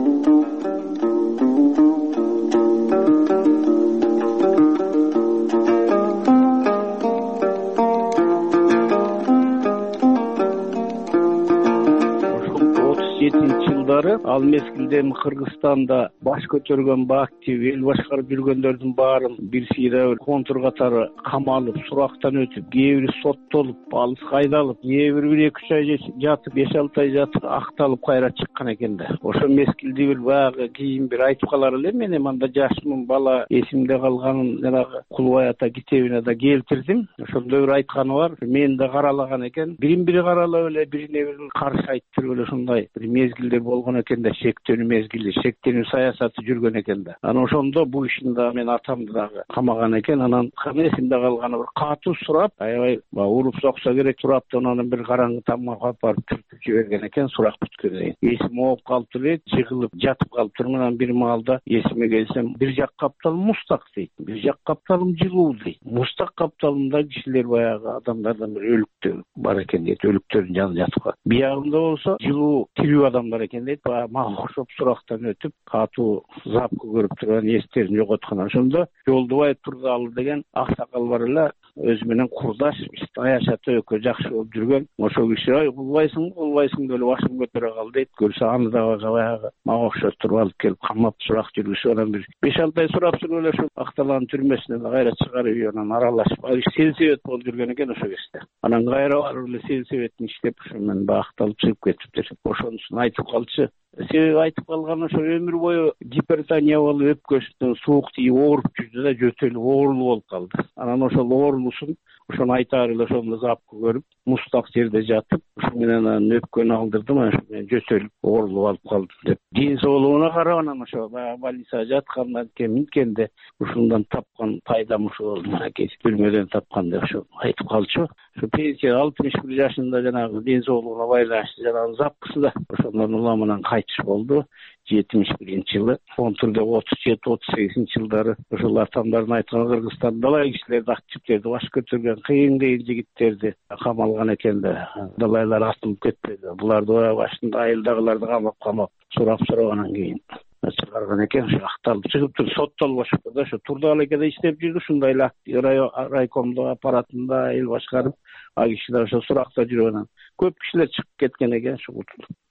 S9: Ал мезгилде Кыргызстанда баш көтөргөн актив эл башкарып жүргөндөрдүн баарын бир сыйра контур катары камалып, сурактан өтүп, кээ бири соттолуп, алыска айдалып, кээ бири 1-2 ай жатып, 5-6 ай жатып, акталып кайра чыккан экен да. Ошол мезгилде бир баягы кийин бир айтып калар элем, мен анда жашмын, бала эсимде калганын жанагы Кулубай ата китебине да келтирдим. Ошондо бир айтканы бар, мени да каралаган экен. Бирин-бири каралап эле, бирине бири каршы айтып эле ушундай бир мезгилдер болгон экен да, шектенүү мезгили, шектенүү саясаты жүргөн экен да. Анан ошондо бул ишин да мен атамды дагы камаган экен. Анан эсимде калганы бир катуу сурап, аябай уруп соксо керек сурап, анан бир караңгы тамга алып барып түртүп жиберген экен сурак бүткөндөн кийин. Эсим ооп калыптыр эле, жыгылып жатып калыптырмын. Анан бир маалда эсиме келсем, бир жак капталым мустак дейт, бир жак капталым жылуу дейт. Мустак капталымда кишилер баягы адамдардан бир өлүктөр бар экен дейт, өлүктөрдүн жанында жатып калат. Биягында болсо жылуу тирүү адамдар экен дейт. Мага окшоп сурактан өтүп, катуу запкы көрүп турган, эстерин жоготкон. Ошондо Жолдубай Турдалы деген аксакал бар эле, өзү менен курдаш, аяшата экөө жакшы болуп жүргөн. Ошол киши ай кулбайсың деп эле башын көтөрө кал дейт. Көрсө аны да баягы мага окшоп туруп алып келип камап сурак жүргүзүп, анан бир 5-6 ай сурап туруп эле ошо акталган түрмөсүнөн кайра чыгарып, анан аралашып, сельсовет болуп жүргөн экен ошол кезде. Анан кайра барып эле сельсоветтин иштеп, ошо менен акталып чыгып кетиптир. Ошонусун айтып калчы. Себеби айтып калган ошо өмүр бою гипертония болуп, өпкөсүнөн суук тийип ооруп жүрдү да, жөтөлүп оорулуу болуп калды. Анан ошол оорулуусун ошону айтаар эле ошондо запкы көрүп, мустак жерде жатып, ошо менен анан өпкөнү алдырдым, ошо менен жөтөлүп оорулуу болуп калдым деп. Ден соолугуна карап анан ошо больницага жаткандан кийин минткенде ушундан тапкан пайдам ушул болду, мынакей түрмөдөн тапкан деп ошо айтып калчу. Ошо пенсия 61 жашында жанагы ден соолугуна байланыштуу жанагы запкысы да ошондон уламынан кайтыш болду. 71-жылы, контурда 37-38 жылдары ошол атамдардын айткан Кыргызстан далай кишилерди, активдерди баш көтөргөн кыйын жигиттерди камалган экен да. Далайлар атылып кетпеди. Буларды башында айылдагыларды камап сурап-сурагандан кийин чыгарган экен. Ошо акталып чыгыптыр, соттолуп ошо да, ошо Турдалы экеде иштеп жүрдү. Ушундай эле райкомдо аппаратында эл башкарып, а кишилер ошо суракта жүргөн. Көп кишилер чыгып кеткен экен ушул.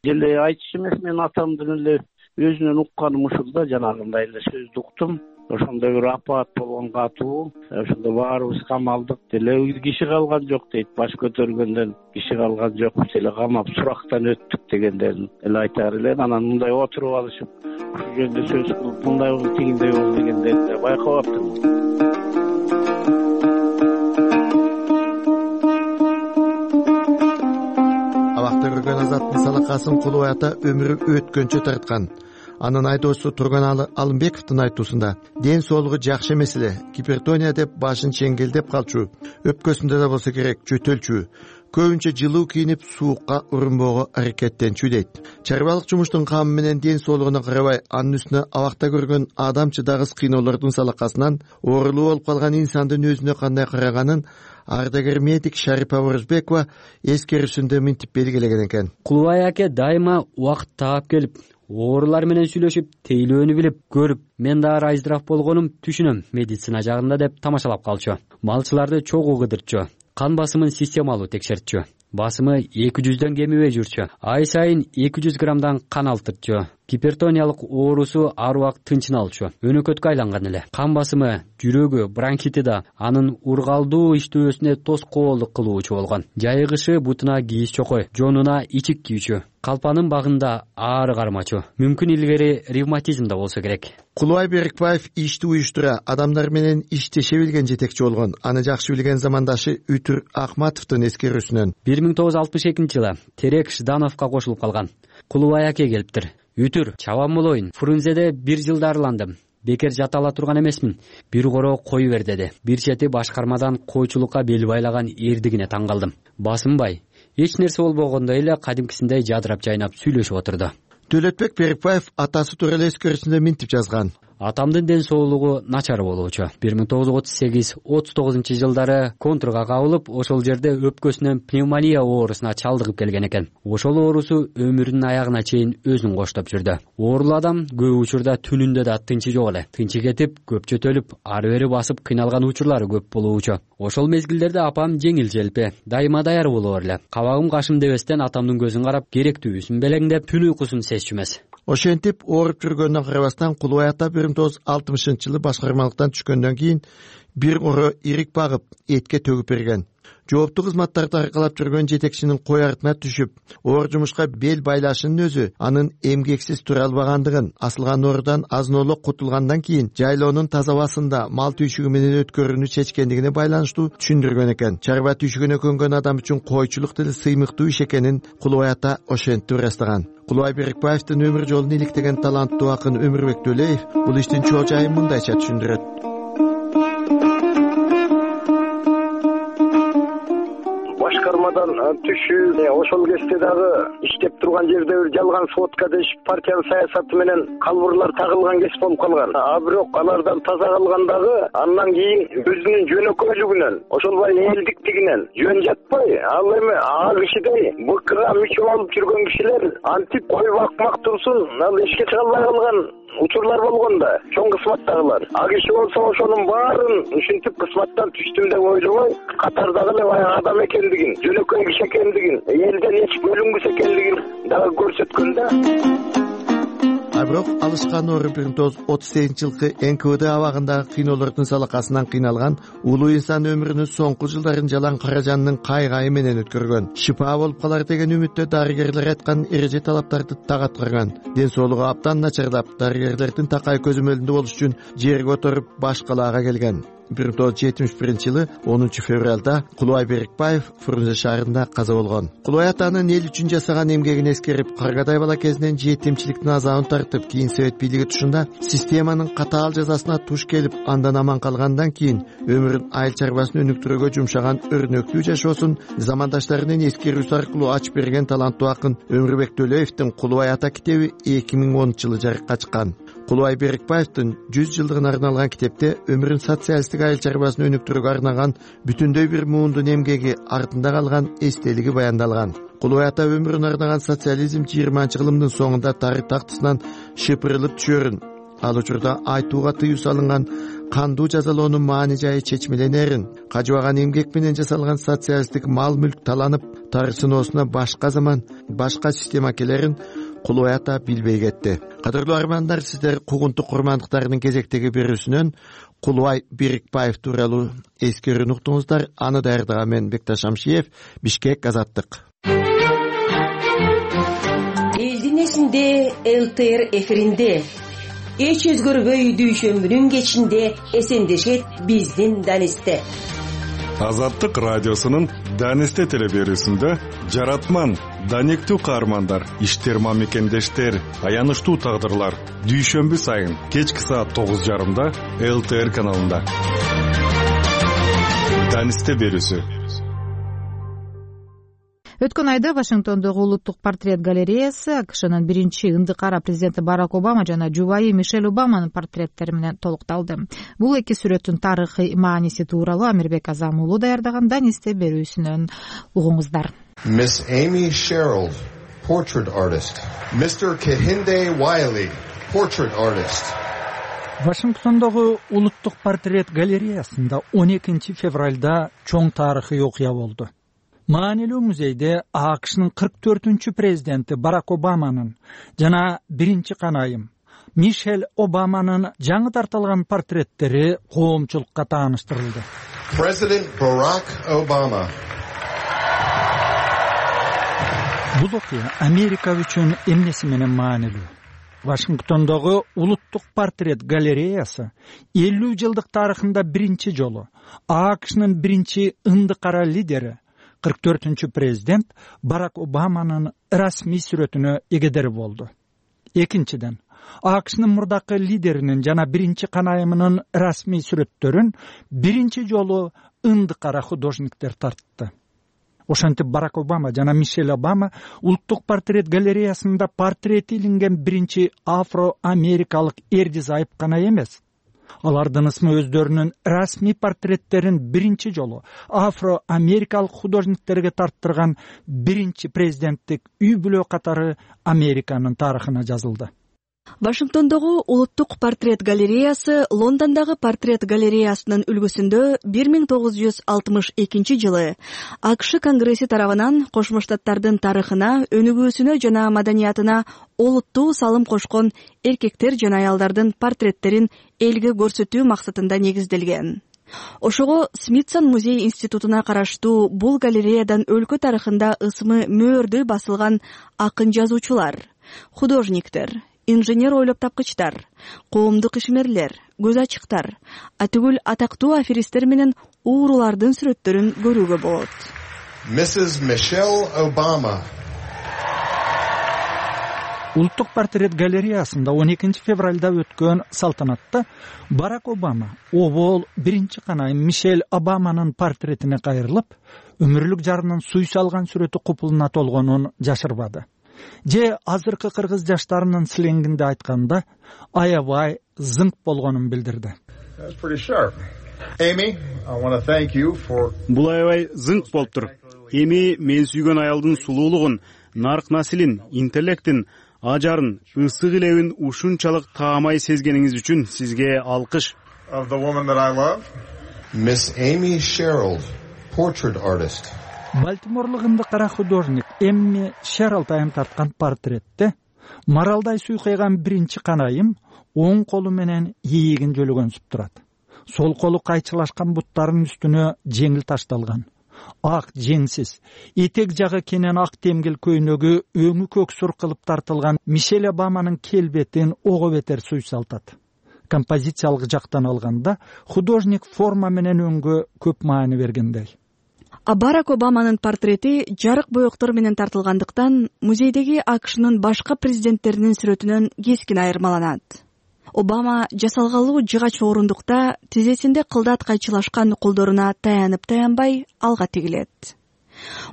S9: Деле айтчу эмес, мен атамдын эле өзүнөн укканым ушул да, жанагындай эле сөздү уктум. Ошондой бир апаат болгон катуу, ошондо баарыбыз камалдык. Деле киши калган жок дейт, баш көтөргөндөн киши калган жок, деле камап сурактан өттүк дегендерин эле айтаар эле. Анан мындай отуруп алышып, ушул жөнүндө сөз кылып, мындай болду, тигиндей болду дегендерди байкап аптым.
S8: Абакта көргөн Азаттын салакасын Кулубай ата өмүрү өткөнчө тарткан. Анын айдоочусу Турганалы Алымбековдун айтуусунда ден соолугу жакшы эмес эле, гипертония деп башын чеңгелдеп калчу, өпкөсүндө да болсо керек жөтөлчү. көбүнчө жылуу кийинип суукка урунбоого аракеттенчү дейт. Чарбалык жумуштун камы менен ден соолугуна карабай анын үстүнө абакта көргөн адам чыдагыс кыйноолордун салакасынан оорулуу болуп калган инсандын өзүнө кандай караганын ардагер медик Шарипа Орузбекова эскерүүсүндө мынтип белгилеген экен.
S12: Кулубай аке дайыма убакыт таап келип, оорулар менен сүйлөшүп, тейлөөнү билип, көрүп, мен дагы айздырак болгонум түшүнөм медицина жагында деп тамашалап калчу. Малчыларды чогуу кыдыртчу, кан басымын системалуу текшертчү. Басымы 200дөн кемибей жүрчү. Ай сайын 200 граммдан кан алтырчу. Гипертониялык оорусу ар убакыт тынчыналчу. Өнөкөткө айланган эле. Кан басымы, жүрөгү, бронхити да анын ургалдуу иштөөсүнө тоскоолдук кылуучу болгон. Жайыгышы бутуна кийиз чокой, жонуна ичик кийүүчү. Калпанын багында аары кармачу. Мүмкүн илгери ревматизм да болсо керек.
S8: Кулубай Берикбаев ишти уюштура, адамдар менен иштеше билген жетекчи болгон. Аны жакшы билген замандашы Үтүр Акматовдун эскерүүсүнөн
S12: 1962-жылы Терек Ждановго кошулуп калган. Кулубай аке келиптир. Үтүр, чабам болоюн. Фрунзеде 1 жыл дарыландым. Бекер жата ала турган эмесмин. Бир коро кой бер деди. Бир чети башкармадан койчулукка бел байлаган эрдигине таң калдым. Басынбай, эч нерсе болбогондой эле кадимкисиндей жадырап жайнап сүйлөшүп отурду.
S8: Төлөтбек Берикбаев атасы тууралуу эскерүүсүндө мынтип жазган.
S12: Атамдын ден соолугу начар болуучу. 1938-39-жылдары контрга кабылып, ошол жерде өпкөсүнөн пневмония оорусуна чалдыгып келген экен. Ошол оорусу өмүрүнүн аягына чейин өзүн коштоп жүрдү. Оорулуу адам көп учурда түнүндө да тынчы жок эле. Тынчы кетип, көп чөтөлүп, ары бери басып кыйналган учурлары көп болуучу. Ошол мезгилдерде апам жеңил желпи, дайыма даяр боло берле. Кабагым кашым дебестен атамдын көзүн карап, керектүүсүн белеңдеп, түн уйкусун сезчү эмес.
S8: Ошентип ооруп жүргөнүнө карабастан Кулубай ата 1960-жылы башкармалыктан түшкөндөн кийин бир коро ирик багып, этке төгүп берген. Жооптуу кызматтарды аркалап жүргөн жетекчинин кой артына түшүп, оор жумушка бел байлашынын өзү анын эмгексиз тура албагандыгын, асылган оорудан азын-оло кутулгандан кийин жайлоонун таза абасында мал түйшүгү менен өткөрүүнү чечкендигине байланыштуу түшүндүргөн экен. Чарба түйшүгүнө көнгөн адам үчүн койчулук деле сыймыктуу иш экенин Кулубай ата ошентип ырастаган. Кулубай Берикбаевдин өмүр жолун иликтеген таланттуу акын Өмүрбек Төлөев бул иштин чоо жайын мындайча түшүндүрөт.
S10: Башкармадан түшүү, ошол кезде дагы иштеп турган жерде бир жалган сводка дешип партиянын саясаты менен калбырлар тагылган кез болуп калган. Бирок алардан таза калган дагы андан кийин өзүнүн жөнөкөйлүгүнөн, ошолбай элдиктигинен жөн жатпай, ал эми а кишидей БКга мүчө болуп жүргөн кишилер антип кой бакмак турсун, ал ишке чыга албай калган учурлар болгон да, чоң кызматтагылар. Киши болсо ошонун баарын ушинтип кызматтан түштүм деп ойлобой, катардагы эле баягы адам экендигин, жөнөкөй киши экендигин, элден эч бөлүнгүс экендигин дагы көрсөткөн да.
S8: Бирок алышкан оору 1938-жылкы НКВД абагындагы кыйноолордун салакасынан кыйналган улуу инсан өмүрүнүн соңку жылдарын жалаң каражанынын кайгайы менен өткөргөн. Шипа болуп калар деген үмүттө дарыгерлер айткан эреже талаптарды так аткарган. Ден соолугу абдан начарлап, дарыгерлердин такай көзөмөлүндө болуш үчүн жерге отуруп баш калаага келген. 1971-жылы 10 февралда Кулубай Берикбаев Фрунзе шаарында каза болгон. Кулубай атанын эл үчүн жасаган эмгегин эскерип, каргадай бала кезинен жетимчиликтин азабын тартып, кийин совет бийлиги тушунда системанын катаал жазасына туш келип, андан аман калгандан кийин өмүрүн айыл чарбасын өнүктүрүүгө жумшаган өрнөктүү жашоосун замандаштарынын эскерүүсү аркылуу ачып берген таланттуу акын Өмүрбек Төлөевдин Кулубай ата китеби 2010-жылы жарыкка чыккан. Кулубай Берикбаевдин 100 жылдыгына арналган китепте өмүрүн социалисттик айыл чарбасын өнүктүрүүгө арнаган бүтүндөй бир муундун эмгеги, артында калган эстелиги баяндалган. Кулубай ата өмүрүн арнаган социализм 20-кылымдын соңунда тарых тактысынан шыпырылып түшөрүн, ал учурда айтууга тыюу салынган кандуу жазалоонун маани жайы чечмеленерин, кажыбаган эмгек менен жасалган социалисттик мал мүлк таланып, тарых сыноосуна башка заман, башка система келерин Кулубай ата билбей кетти. Кадырлуу армандар, сиздер кугунтук курмандыктарынын кезектеги берүүсүнөн Кулубай Берикбаев тууралуу эскерүүнү уктуңуздар. Аны даярдаган мен Бекташ Амшиев, Бишкек, Азаттык.
S11: Элдин эсинде ЛТР эфиринде эч өзгөрбөй дүйшөмбүнүн кечинде эсендешет биздин Данисте.
S13: Азаттык радиосунун Данисте телеберүүсүндө жаратман, данектүү каармандар, иштер мамекендештер, аянычтуу тагдырлар дүйшөмбү сайын кечки саат 9:30 ЛТР каналында. Данисте берүүсү.
S1: Өткөн айда Вашингтондогу улуттук портрет галереясы АКШнын биринчи ынды кара президенти Барак Обама жана жубайы Мишель Обаманын портреттери менен толукталды. Бул эки сүрөттүн тарыхый мааниси тууралуу Амирбек Азам уулу даярдаган Данисте берүүсүнөн угуңуздар.
S14: Miss Amy Sherrill, portrait artist. Mr. Kehinde Wiley, portrait artist.
S15: Вашингтондогу улуттук портрет галереясында 12 февралда чоң тарыхый окуя болду. Маанилүү музейде АКШнын 44-чү президенти Барак Обаманын жана биринчи канайым Мишель Обаманын жаңы тартылган портреттери коомчулукка тааныштырылды.
S14: President Barack Obama.
S15: Бул окуя Америка үчүн эмнеси менен маанилүү? Вашингтондогу улуттук портрет галереясы 50 жылдык тарыхында биринчи жолу АКШнын биринчи ынды кара лидери 44-чү президент Барак Обаманын расмий сүрөтүнө эгедер болду. Экинчиден, АКШнын мурдакы лидеринин жана биринчи канайымынын расмий сүрөттөрүн биринчи жолу ынды кара художниктер тартты. Ошентип Барак Обама жана Мишель Обама улуттук портрет галереясында портрети илинген биринчи афро-америкалык эрди-зайып гана эмес. Алардын ысмы өздөрүнүн расмий портреттерин биринчи жолу афро-америкалык художниктерге тарттырган биринчи президенттик үй бүлө катары Американын тарыхына жазылды.
S16: Вашингтондогу улуттук портрет галереясы Лондондогу портрет галереясынын үлгүсүндө 1962 жылы АКШ Конгресси тарабынан Кошмо Штаттардын тарыхына, өнүгүүсүнө жана маданиятына олуттуу салым кошкон эркектер жана аялдардын портреттерин элге көрсөтүү максатында негизделген. Ошого Смитсон музей институтуна караштуу бул галереядан өлкө тарыхында ысмы мөөрдөй басылган акын жазуучулар, художниктер, инженер ойлоп тапкычтар, коомдук ишмерлер, көз ачыктар, атүгүл атактуу аферисттер менен уурулардын сүрөттөрүн көрүүгө болот.
S14: Mrs. Michelle Obama.
S15: Улуттук портрет галереясында 12 февралда өткөн салтанатта Барак Обама обол биринчи канайым Мишель Обаманын портретине кайрылып, өмүрлүк жарынын суй салган сүрөтү купулуна толгонун жашырбады. Же азыркы кыргыз жаштарынын сленгинде айтканда, аябай зыңк болгонун билдирди.
S18: Бул аябай зыңк болуптур. Эми мен сүйгөн аялдын сулуулугун, нарк насилин, интеллектин, ажарын, ысык илебин ушунчалык таамай сезгениңиз үчүн сизге алкыш.
S14: Miss Amy Sherrill, portrait artist.
S15: Балтиморлук ынды кара художник Эмми Шеррилл тайым тарткан портретте маралдай суйкайган биринчи канайым оң колу менен ийигин жөлөгөнсүп турат. Сол колу кайчылашкан буттарынын үстүнө жеңил ташталган. Ак жеңсиз, этек жагы кенен ак темгил көйнөгү өңү көксүр кылып тартылган Мишель Обаманын келбетин ого бетер суйсалтат. Композициялык жактан алганда художник форма менен өңгө көп маани бергендей.
S16: Барак Обаманын портрети жарык боектор менен тартылгандыктан музейдеги АКШнын башка президенттеринин сүрөтүнөн кескин айырмаланат. Обама жасалгалуу жыгач орундукта тизесинде кылдат кайчылашкан колдоруна таянып-таянбай алга тигилет.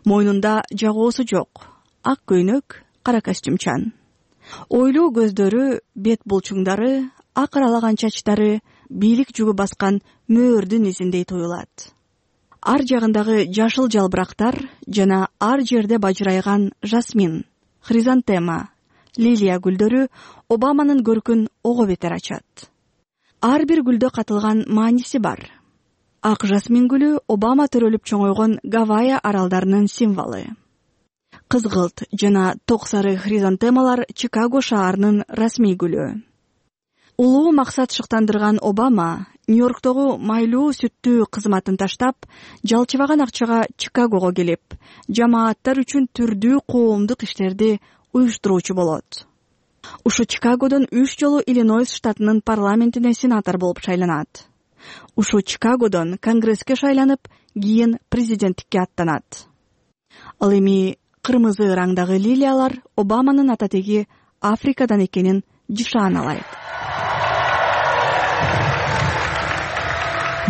S16: Мойнунда жагоосу жок, ак көйнөк, кара костюмчан. Ойлуу көздөрү, бет булчуңдары, ак аралаган чачтары бийлик жүгү баскан мөөрдүн изиндей туюлат. Ар жагындагы жашыл жалбырактар жана ар жерде бажырайган жасмин, хризантема, лилия гүлдөрү Обаманын көркүн ого бетер ачат. Ар бир гүлдө катылган мааниси бар. Ак жасмин гүлү Обама төрөлүп чоңойгон Гавайи аралдарынын символу. Кызгылт жана ток сары хризантемалар Чикаго шаарынын расмий гүлү. Улуу максат шыктандырган Обама Нью-Йорктогу майлуу сүттүү кызматын таштап, жалчыбаган акчага Чикагого келип, жамааттар үчүн түрдүү коомдук иштерди уюштуруучу болот. Ушу Чикагодон 3 жолу Иллинойс штатынын парламентине сенатор болуп шайланат. Ушу Чикагодон Конгресске шайланып, кийин президенттикке аттанат. Ал эми кырмызы раңдагы лилиялар Обаманын ататеги Африкадан экенин жышааналайт.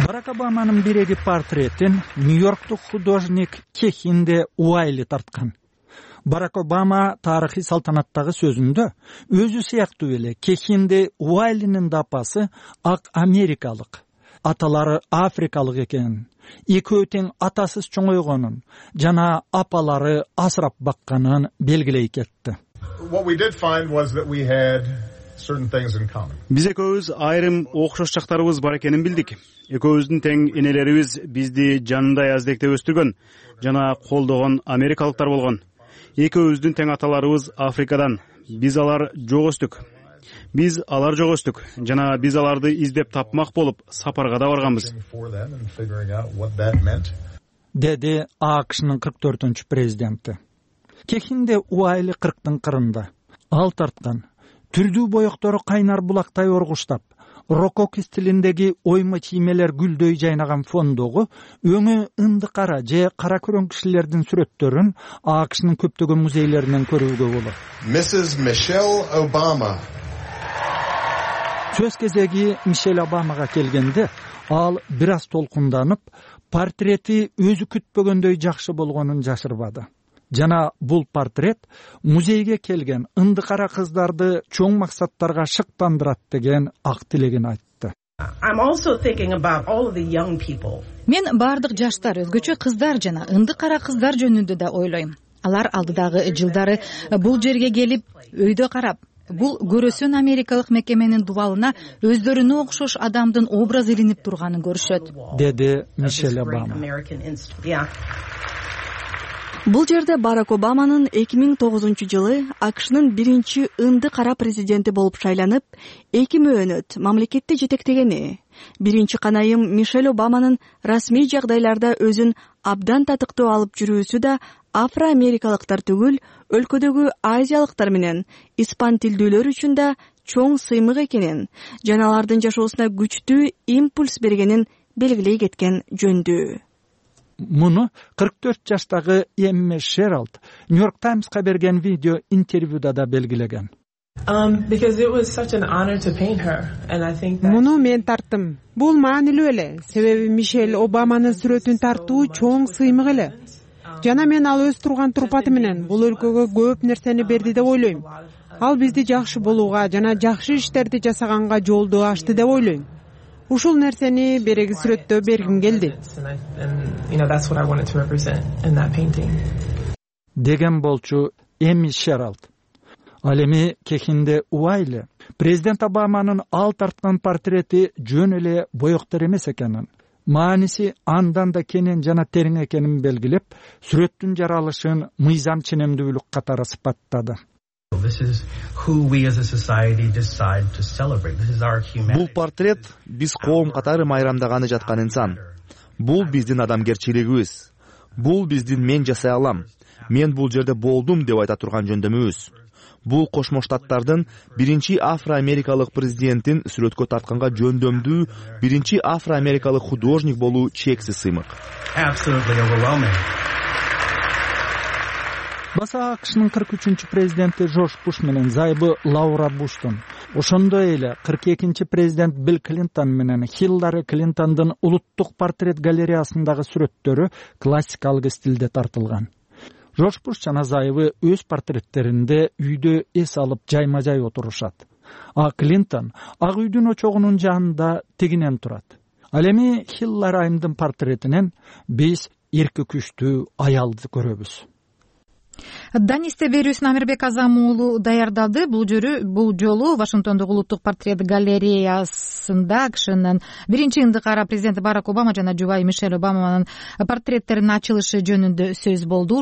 S15: Барак Барак Обаманын биреги портретин Нью-Йорктук художник Кехинде Уайли тарткан. Барак Обама тарыхый салтанаттагы сөзүндө өзү сыяктуу эле Кехинде Уайлинин да апасы ак америкалык, аталары африкалык экенин, экөө тең атасыз чоңойгонун жана апалары асырап бакканын белгилей кетти.
S18: Биз экөөбүз айрым окшош жактарыбыз бар экенин билдик. Экөөбүздүн тең энелерибиз бизди жанындай аздектеп өстүргөн жана колдогон америкалыктар болгон. Экөөбүздүн тең аталарыбыз Африкадан. Биз алар жок өстүк. Биз алар жок өстүк жана биз аларды издеп тапмак болуп сапарга да барганбыз.
S15: Деди АКШнын 44-ч президенти. Кехинде Уайли 40-тын кырында. Ал тарткан түрдүү боектору кайнар булактай оргуштап, рококо стилиндеги ойма чиймелер гүлдөй жайнаган фондогу өңү ынды кара же кара көрөң кишилердин сүрөттөрүн АКШнын көптөгөн музейлеринен көрүүгө болот.
S14: Mrs. Michelle Obama.
S15: Сөз кезеги Мишель Обамага келгенде ал бир аз толкунданып, портрети өзү күтпөгөндөй жакшы болгонун жашырбады. Жана бул портрет музейге келген ынды кара кыздарды чоң максаттарга шыктандырат деген ак тилегин айтты.
S1: Мен бардык жаштар, өзгөчө кыздар жана ынды кара кыздар жөнүндө да ойлойм. Алар алдыдагы жылдары бул жерге келип, өйдө карап, бул көрөсөн америкалык мекеменин дубалына өздөрүнө окшош адамдын образы илинип турганын көрүшөт,
S15: деди Мишель Обама.
S16: Бул жерде Барак Обаманын 2009-жылы АКШнын биринчи ынды кара президенти болуп шайланып, 2 мөөнөт мамлекетти жетектегени, биринчи канайым Мишель Обаманын расмий жагдайларда өзүн абдан татыктуу алып жүрүүсү да афро-америкалыктар түгүл, өлкөдөгү азиялыктар менен испан тилдүүлөр үчүн да чоң сыймык экенин, жана алардын жашоосуна күчтүү импульс бергенин белгилей кеткен жөндүү.
S15: Муну 44 жаштагы Эмме Шералд Нью-Йорк Таймска берген видео интервьюда да белгилеген.
S5: Муну мен тарттым. Бул маанилүү эле, себеби Мишель Обаманын сүрөтүн тартуу чоң сыймык эле. Жана мен ал өз турган турпаты менен бул өлкөгө көп нерсени берди деп ойлойм. Ал бизди жакшы болууга жана жакшы иштерди жасаганга жолду ачты деп ойлойм. Ушул нерсени береги сүрөттө бергим келди.
S15: Деген болчу Эми Шералд. Ал эми Кехинде Уайли президент Обаманын ал тарткан портрети жөн эле боектор эмес экенин, мааниси андан да кенен жана терең экенин белгилеп, сүрөттүн жаралышын мыйзам ченемдүүлүк катары сыпаттады.
S19: Бул портрет биз коом катары майрамдаганы жаткан инсан. Бул биздин адамгерчилигибиз. Бул биздин мен жасай алам, мен бул жерде болдум деп айта турган жөндөмүбүз. Бул Кошмо Штаттардын биринчи афро-америкалык президентин сүрөткө тартканга жөндөмдүү биринчи афро-америкалык художник болуу чексиз сыймык.
S15: Баса АКШнын 43-чү президенти Жорж Буш менен зайыбы Лаура Буштун, ошондой эле 42-чи президент Билл Клинтон менен Хиллари Клинтондун улуттук портрет галереясындагы сүрөттөрү классикалык стилде тартылган. Жорж Буш жана зайыбы өз портреттеринде үйдө эс алып жайма-жай отурушат. А Клинтон ак үйдүн очогунун жанында тигинен турат. Ал эми Хиллари айымдын портретинен биз эрки күчтүү аялды көрөбүз.
S1: Данисте берүүсүн Амирбек Азам уулу даярдады. Бул жолу Вашингтондогу улуттук портрет галереясында АКШнын биринчи ынды кара президенти Барак Обама жана жубайы Мишель Обаманын портреттеринин ачылышы жөнүндө сөз болду.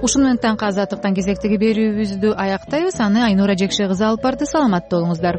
S1: Ушуну менен таңкы азаттыктан кезектеги берүүбүздү аяктайбыз. Аны Айнура Жекше кызы алып барды. Саламатта болуңуздар.